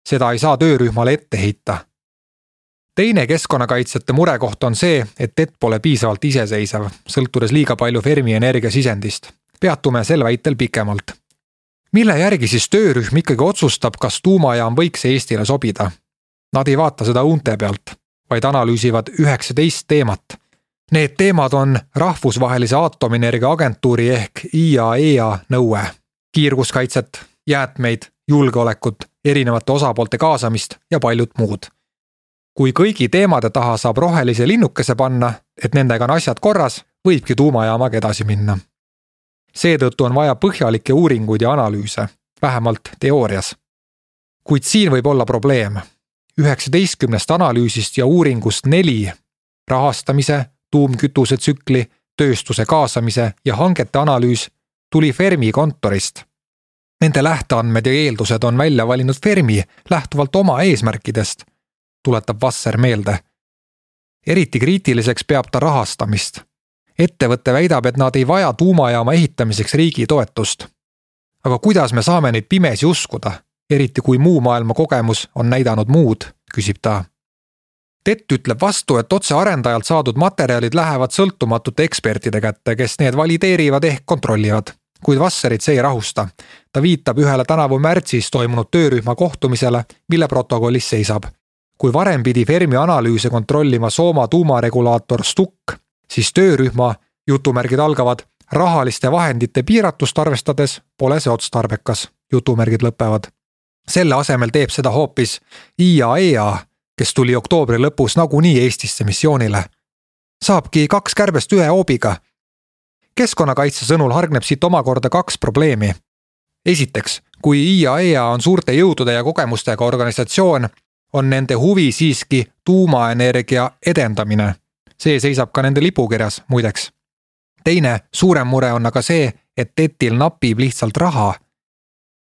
Seda ei saa töörühmale ette heita. Teine keskkonnakaitsjate murekoht on see, et TET pole piisavalt iseseisev, sõltudes liiga palju Fermi Energia sisendist. Peatume sel väitel pikemalt. Mille järgi siis töörühm ikkagi otsustab, kas tuumajaam võiks Eestile sobida? Nad ei vaata seda unte pealt, vaid analüüsivad 19 teemat. Need teemad on Rahvusvahelise Aatomienergia Agentuuri ehk IAEA nõue, kiirguskaitset, jäätmeid, julgeolekut, erinevate osapoolte kaasamist ja paljud muud. Kui kõigi teemade taha saab rohelise linnukese panna, et nendega on asjad korras, võibki tuumajaamaga edasi minna. Seetõttu on vaja põhjalikke uuringuid ja analüüse, vähemalt teoorias. Kuid siin võib olla probleem. 19 analüüsist ja uuringust 4 rahastamise, tuumkütuse tsükli, tööstuse kaasamise ja hangete analüüs tuli Fermi kontorist. Nende lähteandmed ja eeldused on välja valinud Fermi lähtuvalt oma eesmärkidest, tuletab Vasser meelde. Eriti kriitiliseks peab ta rahastamist. Ettevõte väidab, et nad ei vaja tuumajaama ehitamiseks riigi toetust. Aga kuidas me saame neid pimesi uskuda, eriti kui muu maailma kogemus on näidanud muud, küsib ta. TET ütleb vastu, et otse arendajalt saadud materjalid lähevad sõltumatute ekspertide kätte, kes need valideerivad ehk kontrollivad. Kuid Vasserit see ei rahusta. Ta viitab ühele tänavu märtsis toimunud töörühma kohtumisele, mille protokollis seisab. Kui varem pidi Fermi analüüse kontrollima Sooma tuumaregulaator STUK, siis töörühma, jutumärgid algavad, rahaliste vahendite piiratust arvestades pole see otstarbekas, jutumärgid lõpevad. Selle asemel teeb seda hoopis IAEA, kes tuli oktoobri lõpus nagunii Eestisse missioonile. Saabki 2 kärbest 1 hoobiga. Keskkonnakaitse sõnul hargneb siit omakorda 2 probleemi. Esiteks, kui IAEA on suurte jõudude ja kogemustega organisatsioon, on nende huvi siiski tuumaenergia edendamine. See seisab ka nende lipukirjas, muideks. Teine, suurem mure on aga see, et TET-il napib lihtsalt raha.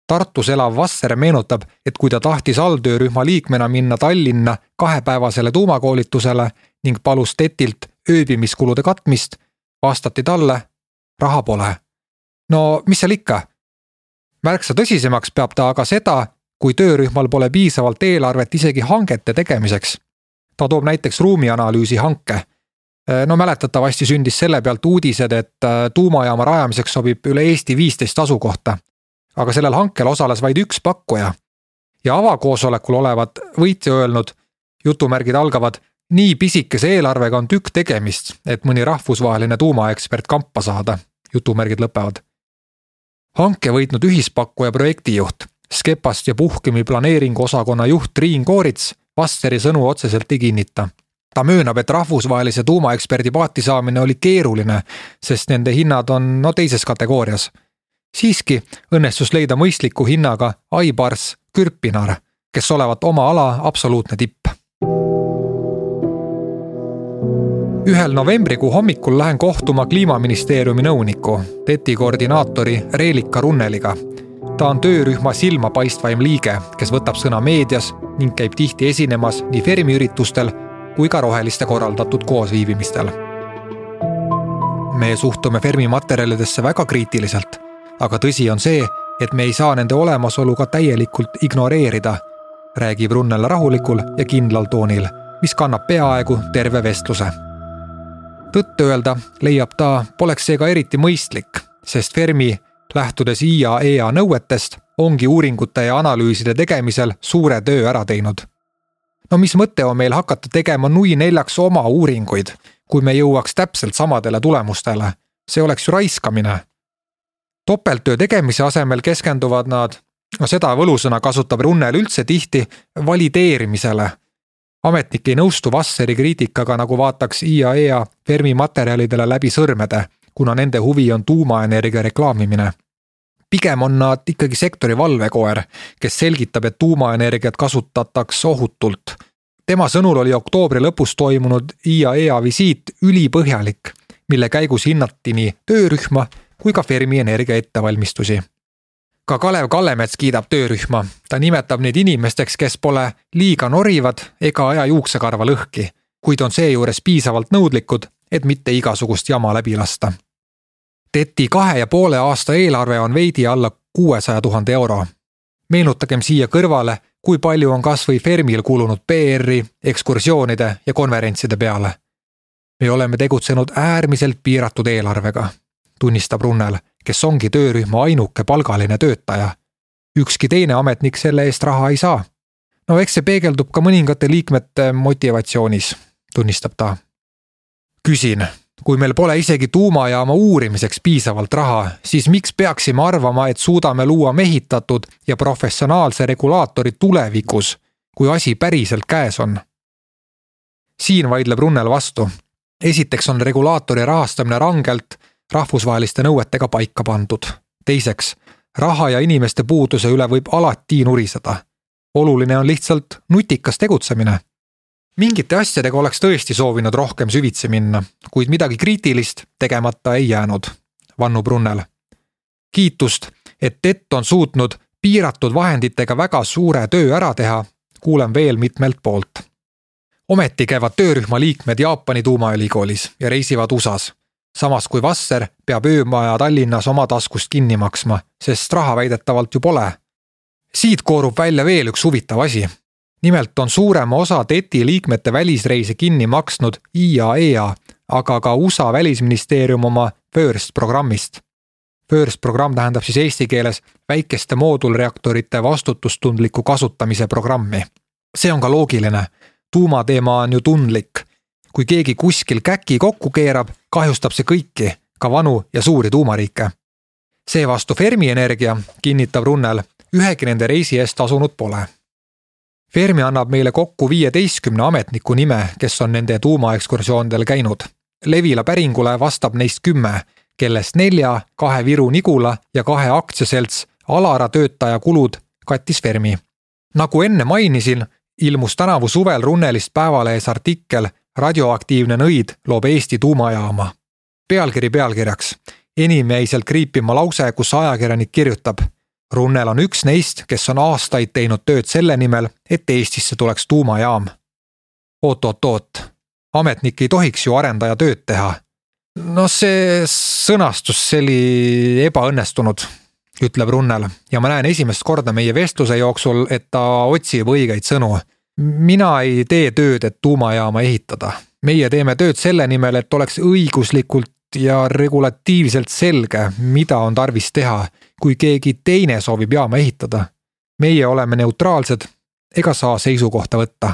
Tartus elav Vasser meenutab, et kui ta tahtis alltöörühma liikmena minna Tallinna 2-päevasele tuumakoolitusele ning palus TET-ilt ööbimiskulude katmist, vastati talle, raha pole. No mis seal ikka? Märksa tõsisemaks peab ta aga seda, kui töörühmal pole piisavalt eelarvet isegi hangete tegemiseks. Ta toob näiteks ruumianalüüsi hanke. No mäletatavasti sündis selle pealt uudised, et tuumajaama rajamiseks sobib üle Eesti 15 asukohta. Aga sellel hankel osales vaid 1 pakkuja. Ja avakoosolekul olevat võitja öelnud, jutumärgid algavad, nii pisikese eelarvega on tükk tegemist, et mõni rahvusvaheline tuumaekspert kampa saada, jutumärgid lõpevad. Hanke võitnud ühispakkuja projektijuht, Skepast ja Puhkemi planeeringu osakonna juht Triin Koorits Vasseri sõnu otseselt ei kinnita. Ta möönab, et rahvusvahelise tuumaeksperdi paati saamine oli keeruline, sest nende hinnad on teises kategoorias. Siiski õnnestus leida mõistliku hinnaga Aibars Kürpinar, kes olevat oma ala absoluutne tipp. 1. novembrikuu hommikul lähen kohtuma Kliimaministeeriumi nõuniku, TET-i koordinaatori Reelika Runneliga. Ta on töörühma silmapaistvaim liige, kes võtab sõna meedias ning käib tihti esinemas nii Fermi üritustel kui ka roheliste korraldatud koosviibimistel. Me suhtume Fermi materjalidesse väga kriitiliselt, aga tõsi on see, et me ei saa nende olemasolu ka täielikult ignoreerida, räägib Runnel rahulikul ja kindlal toonil, mis kannab peaaegu terve vestluse. Tõtt öelda leiab ta, poleks seega eriti mõistlik, sest Fermi, lähtudes IAEA nõuetest, ongi uuringute ja analüüside tegemisel suure töö ära teinud. No mis mõte on meil hakata tegema nui 4 oma uuringuid, kui me jõuaks täpselt samadele tulemustele? See oleks ju raiskamine. Topelttöö tegemise asemel keskenduvad nad, seda võlusõna kasutab Runnel üldse tihti, valideerimisele. Ametnik ei nõustu Vasseri kriitikaga, nagu vaataks IAEA Fermi materjalidele läbi sõrmede, kuna nende huvi on tuumaenergia reklaamimine. Pigem on nad ikkagi sektori valvekoer, kes selgitab, et tuumaenergiat kasutataks ohutult. Tema sõnul oli oktoobri lõpus toimunud IAEA visiit ülipõhjalik, mille käigus hinnati nii töörühma kui ka Fermi energia ettevalmistusi. Ka Kalev Kallemets kiidab töörühma. Ta nimetab neid inimesteks, kes pole liiga norivad ega aja juuksekarva lõhki, kuid on seejuures piisavalt nõudlikud, et mitte igasugust jama läbi lasta. TET-i 2,5 aasta eelarve on veidi alla 600 000 euro. Meenutagem siia kõrvale, kui palju on kas või Fermil kulunud PR-i, ekskursioonide ja konverentside peale. Me oleme tegutsenud äärmiselt piiratud eelarvega, tunnistab Runnel, kes ongi töörühma ainuke palgaline töötaja. Ükski teine ametnik selle eest raha ei saa. No eks see peegeldub ka mõningate liikmete motivatsioonis, tunnistab ta. Küsin, kui meil pole isegi tuumajaama uurimiseks piisavalt raha, siis miks peaksime arvama, et suudame luua mehitatud ja professionaalse regulaatori tulevikus, kui asi päriselt käes on? Siin vaidleb Runnel vastu. Esiteks on regulaatori rahastamine rangelt rahvusvaheliste nõuetega paika pandud. Teiseks, raha ja inimeste puuduse üle võib alati nuriseda. Oluline on lihtsalt nutikas tegutsemine. Mingite asjadega oleks tõesti soovinud rohkem süvitsi minna, kuid midagi kriitilist tegemata ei jäänud, vannub Runnel. Kiitust, et TET on suutnud piiratud vahenditega väga suure töö ära teha, kuulen veel mitmelt poolt. Ometi käivad töörühma liikmed Jaapani tuumaülikoolis ja reisivad USAs, samas kui Vasser peab öömaja Tallinnas oma taskust kinni maksma, sest raha väidetavalt ju pole. Siit koorub välja veel üks huvitav asi. Nimelt on suurema osa TET-i liikmete välisreise kinni maksnud IAEA, aga ka USA välisministeerium oma FIRST programmist. FIRST programm tähendab siis eesti keeles väikeste moodulreaktorite vastutustundliku kasutamise programmi. See on ka loogiline. Tuumateema on ju tundlik. Kui keegi kuskil käki kokku keerab, kahjustab see kõiki, ka vanu ja suuri tuumariike. Seevastu Fermi energia, kinnitab Runnel, ühegi nende reisi eest tasunud pole. Fermi annab meile kokku 15 ametniku nime, kes on nende tuumaekskursioonidel käinud. Levila päringule vastab neist 10, kellest 4, 2 Viru Nigula ja 2 aktsiaselts Alara töötaja kulud kattis Fermi. Nagu enne mainisin, ilmus tänavu suvel Runnelist Päevalehes artikkel Radioaktiivne nõid loob Eesti tuumajaama. Pealkiri pealkirjaks. Enim jäi sealt kriipima lause, kus ajakirjanik kirjutab: Runnel on üks neist, kes on aastaid teinud tööd selle nimel, et Eestisse tuleks tuumajaam. Oot. Ametnik ei tohiks ju arendaja tööd teha. No see sõnastus oli ebaõnnestunud, ütleb Runnel, ja ma näen esimest korda meie vestluse jooksul, et ta otsib õigeid sõnu. Mina ei tee tööd, et tuumajaama ehitada. Meie teeme tööd selle nimel, et oleks õiguslikult ja regulatiivselt selge, mida on tarvis teha, kui keegi teine soovib jaama ehitada. Meie oleme neutraalsed ega saa seisukohta võtta.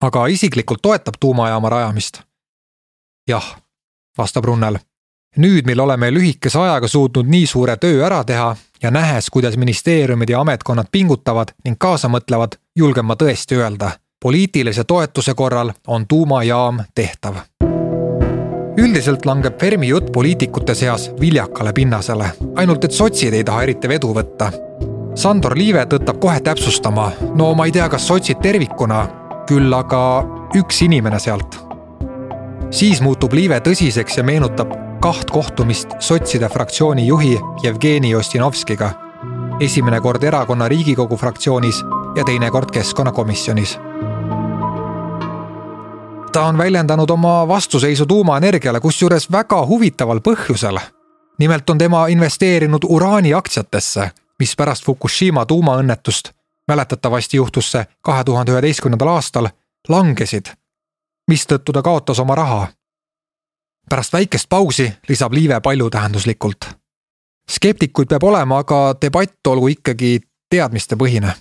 Aga isiklikult toetab tuumajaama rajamist? Jah, vastab Runnel. Nüüd, mil oleme lühikese ajaga suutnud nii suure töö ära teha ja nähes, kuidas ministeeriumid ja ametkonnad pingutavad ning kaasa mõtlevad, julgen ma tõesti öelda. Poliitilise toetuse korral on tuumajaam tehtav. Üldiselt langeb Fermi jutt poliitikute seas viljakale pinnasele, ainult et sotsid ei taha eriti vedu võtta. Sandor Liive tõttab kohe täpsustama, no ma ei tea, kas sotsid tervikuna, küll aga üks inimene sealt. Siis muutub Liive tõsiseks ja meenutab 2 kohtumist sotside fraktsiooni juhi Jevgeni Ossinovskiga. Esimene kord erakonna Riigikogu fraktsioonis ja teine kord keskkonnakomisjonis. Ta on väljendanud oma vastuseisu tuumaenergiale, kusjuures väga huvitaval põhjusel. Nimelt on tema investeerinud uraani aktsiatesse, mis pärast Fukushima tuumaõnnetust, mäletatavasti juhtus see 2011. aastal, langesid, mistõttu ta kaotas oma raha. Pärast väikest pausi lisab Liive paljutähenduslikult. Skeptikuid peab olema, aga debatt olgu ikkagi teadmiste põhine.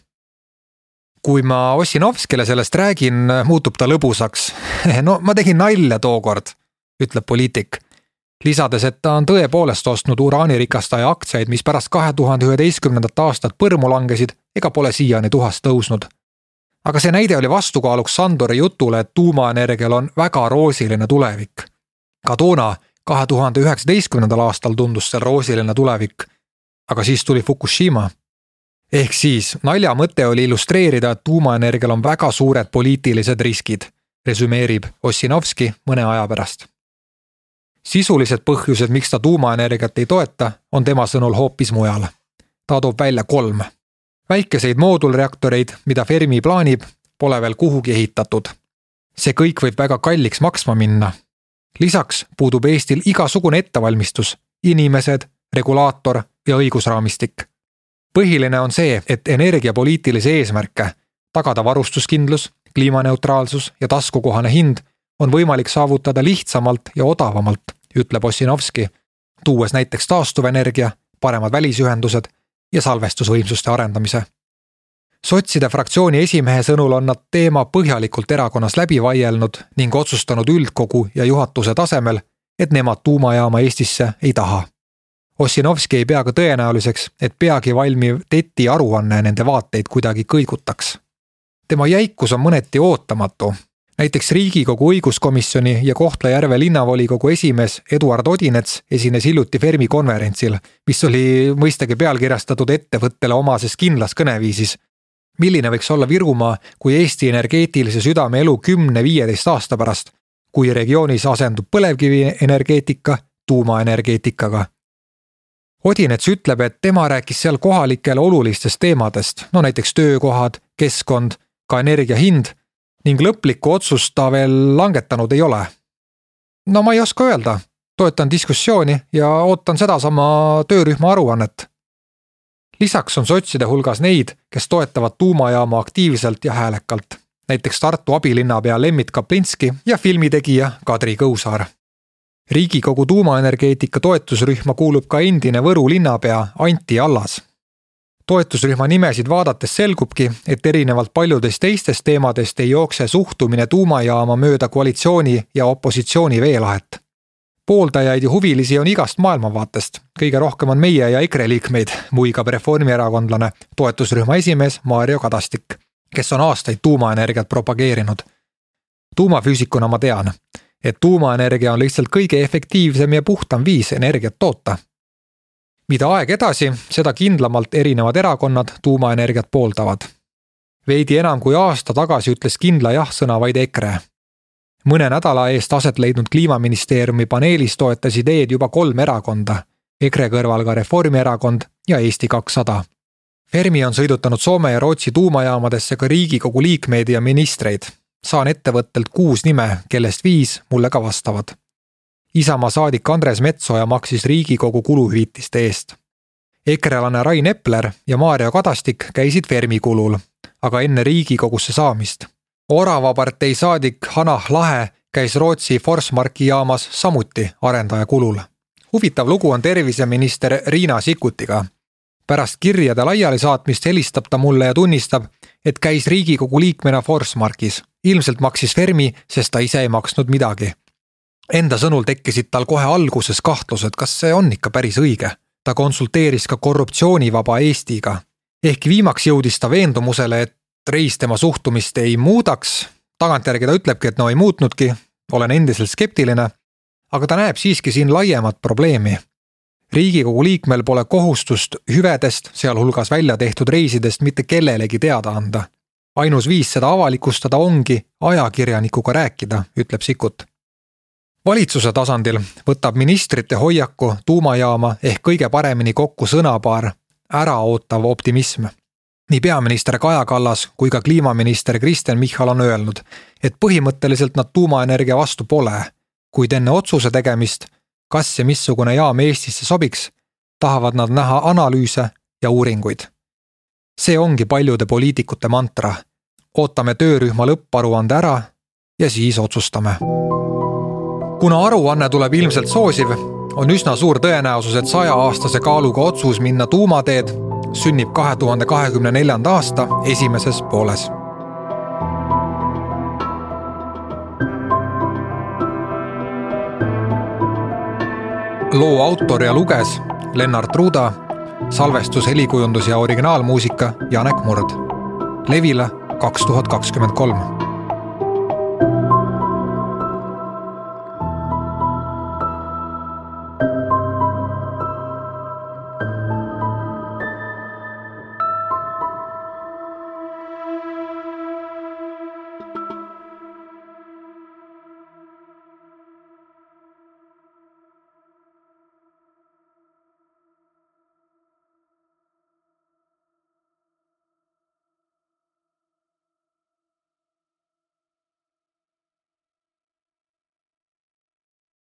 Kui ma Ossinovskile sellest räägin, muutub ta lõbusaks. No ma tegin nalja tookord, ütleb poliitik. Lisades, et ta on tõepoolest ostnud uraanirikastaja aktsiaid, mis pärast 2011. aastat põrmu langesid ega pole siiani tuhast tõusnud. Aga see näide oli vastukaaluks Sandori jutule, et tuumaenergial on väga roosiline tulevik. Ka toona 2019. aastal tundus seal roosiline tulevik, aga siis tuli Fukushima. Ehk siis nalja mõte oli illustreerida, et tuumaenergial on väga suured poliitilised riskid, resümeerib Ossinovski mõne aja pärast. Sisulised põhjused, miks ta tuumaenergiat ei toeta, on tema sõnul hoopis mujal. Ta toob välja 3. Väikeseid moodulreaktoreid, mida Fermi plaanib, pole veel kuhugi ehitatud. See kõik võib väga kalliks maksma minna. Lisaks puudub Eestil igasugune ettevalmistus, inimesed, regulaator ja õigusraamistik. Põhiline on see, et energiapoliitilise eesmärke, tagada varustuskindlus, kliimaneutraalsus ja taskukohane hind on võimalik saavutada lihtsamalt ja odavamalt, ütleb Ossinovski, tuues näiteks taastuvenergia, paremad välisühendused ja salvestusvõimsuste arendamise. Sotside fraktsiooni esimehe sõnul on nad teema põhjalikult erakonnas läbi vaielnud ning otsustanud üldkogu ja juhatuse tasemel, et nemad tuumajaama Eestisse ei taha. Ossinovski ei pea ka tõenäoliseks, et peagi valmiv TET-i aruanne nende vaateid kuidagi kõigutaks. Tema jäikus on mõneti ootamatu. Näiteks Riigikogu õiguskomisjoni ja Kohtla-Järve linnavolikogu esimees Eduard Odinets esines hiljuti Fermi konverentsil, mis oli mõistagi pealkirjastatud ettevõttele omases kindlas kõneviisis. Milline võiks olla Virumaa kui Eesti energeetilise südame elu 10-15 aasta pärast, kui regioonis asendub põlevkivi energeetika tuumaenergeetikaga? Odinets ütleb, et tema rääkis seal kohalikele olulistest teemadest, näiteks töökohad, keskkond, ka energia hind, ning lõplikku otsust ta veel langetanud ei ole. Ma ei oska öelda, toetan diskussiooni ja ootan sedasama töörühma aruannet. Lisaks on sotside hulgas neid, kes toetavad tuumajaama aktiivselt ja häälekalt, näiteks Tartu abilinnapea Lembit Kaplinski ja filmitegija Kadri Kõusaar. Riigikogu tuumaenergeetika toetusrühma kuulub ka endine Võru linnapea Anti Allas. Toetusrühma nimesid vaadates selgubki, et erinevalt paljudest teistest teemadest ei jookse suhtumine tuumajaama mööda koalitsiooni ja opositsiooni veelahet. Pooldajaid ja huvilisi on igast maailmavaatest. Kõige rohkem on meie ja EKRE liikmeid, muigab reformierakondlane toetusrühma esimees Mario Kadastik, kes on aastaid tuumaenergiat propageerinud. Tuumafüüsikuna ma tean, et tuumaenergia on lihtsalt kõige efektiivsem ja puhtam viis energiat toota. Mida aeg edasi, seda kindlamalt erinevad erakonnad tuumaenergiat pooldavad. Veidi enam kui aasta tagasi ütles kindla jah-sõna vaid EKRE. Mõne nädala eest aset leidnud kliimaministeeriumi paneelis toetas ideed juba 3 erakonda, EKRE kõrval ka Reformierakond ja Eesti 200. Fermi on sõidutanud Soome ja Rootsi tuumajaamadesse ka Riigikogu liikmeid ja ministreid. Saan ettevõttelt 6 nime, kellest 5 mulle ka vastavad. Isamaa saadik Andres Metsoja maksis Riigikogu kuluhüvitiste eest. EKRE-lane Rain Epler ja Mario Kadastik käisid Fermi kulul, aga enne Riigikogusse saamist. Orava partei saadik Hanah Lahe käis Rootsi Forsmarki jaamas samuti arendaja kulul. Huvitav lugu on terviseminister Riina Sikkutiga. Pärast kirjade laiali saatmist helistab ta mulle ja tunnistab, et käis Riigikogu liikmena Forsmarkis. Ilmselt maksis Fermi, sest ta ise ei maksnud midagi. Enda sõnul tekkisid tal kohe alguses kahtlused, kas see on ikka päris õige. Ta konsulteeris ka korruptsioonivaba Eestiga. Ehk viimaks jõudis ta veendumusele, et Reis tema suhtumist ei muudaks. Tagantjärgi ta ütlebki, et ei muutnudki, olen endiselt skeptiline, aga ta näeb siiski siin laiemat probleemi. Riigikogu liikmel pole kohustust hüvedest, sealhulgas välja tehtud reisidest mitte kellelegi teada anda. Ainus viis seda avalikustada ongi ajakirjanikuga rääkida, ütleb Sikkut. Valitsuse tasandil võtab ministrite hoiaku tuumajaama ehk kõige paremini kokku sõnapaar äraootav optimism. Nii peaminister Kaja Kallas kui ka kliimaminister Kristen Michal on öelnud, et põhimõtteliselt nad tuumaenergia vastu pole, kuid enne otsuse tegemist, kas ja missugune jaam Eestisse sobiks, tahavad nad näha analüüse ja uuringuid. See ongi paljude poliitikute mantra. Ootame töörühma lõpparuande ära ja siis otsustame. Kuna aruanne tuleb ilmselt soosiv, on üsna suur tõenäosus, et 100-aastase kaaluga otsus minna tuumateed sünnib 2024. aasta esimeses pooles. Loo autor ja luges Lennart Ruuda, salvestus, helikujundus ja originaalmuusika Janek Murd. Levila 2023.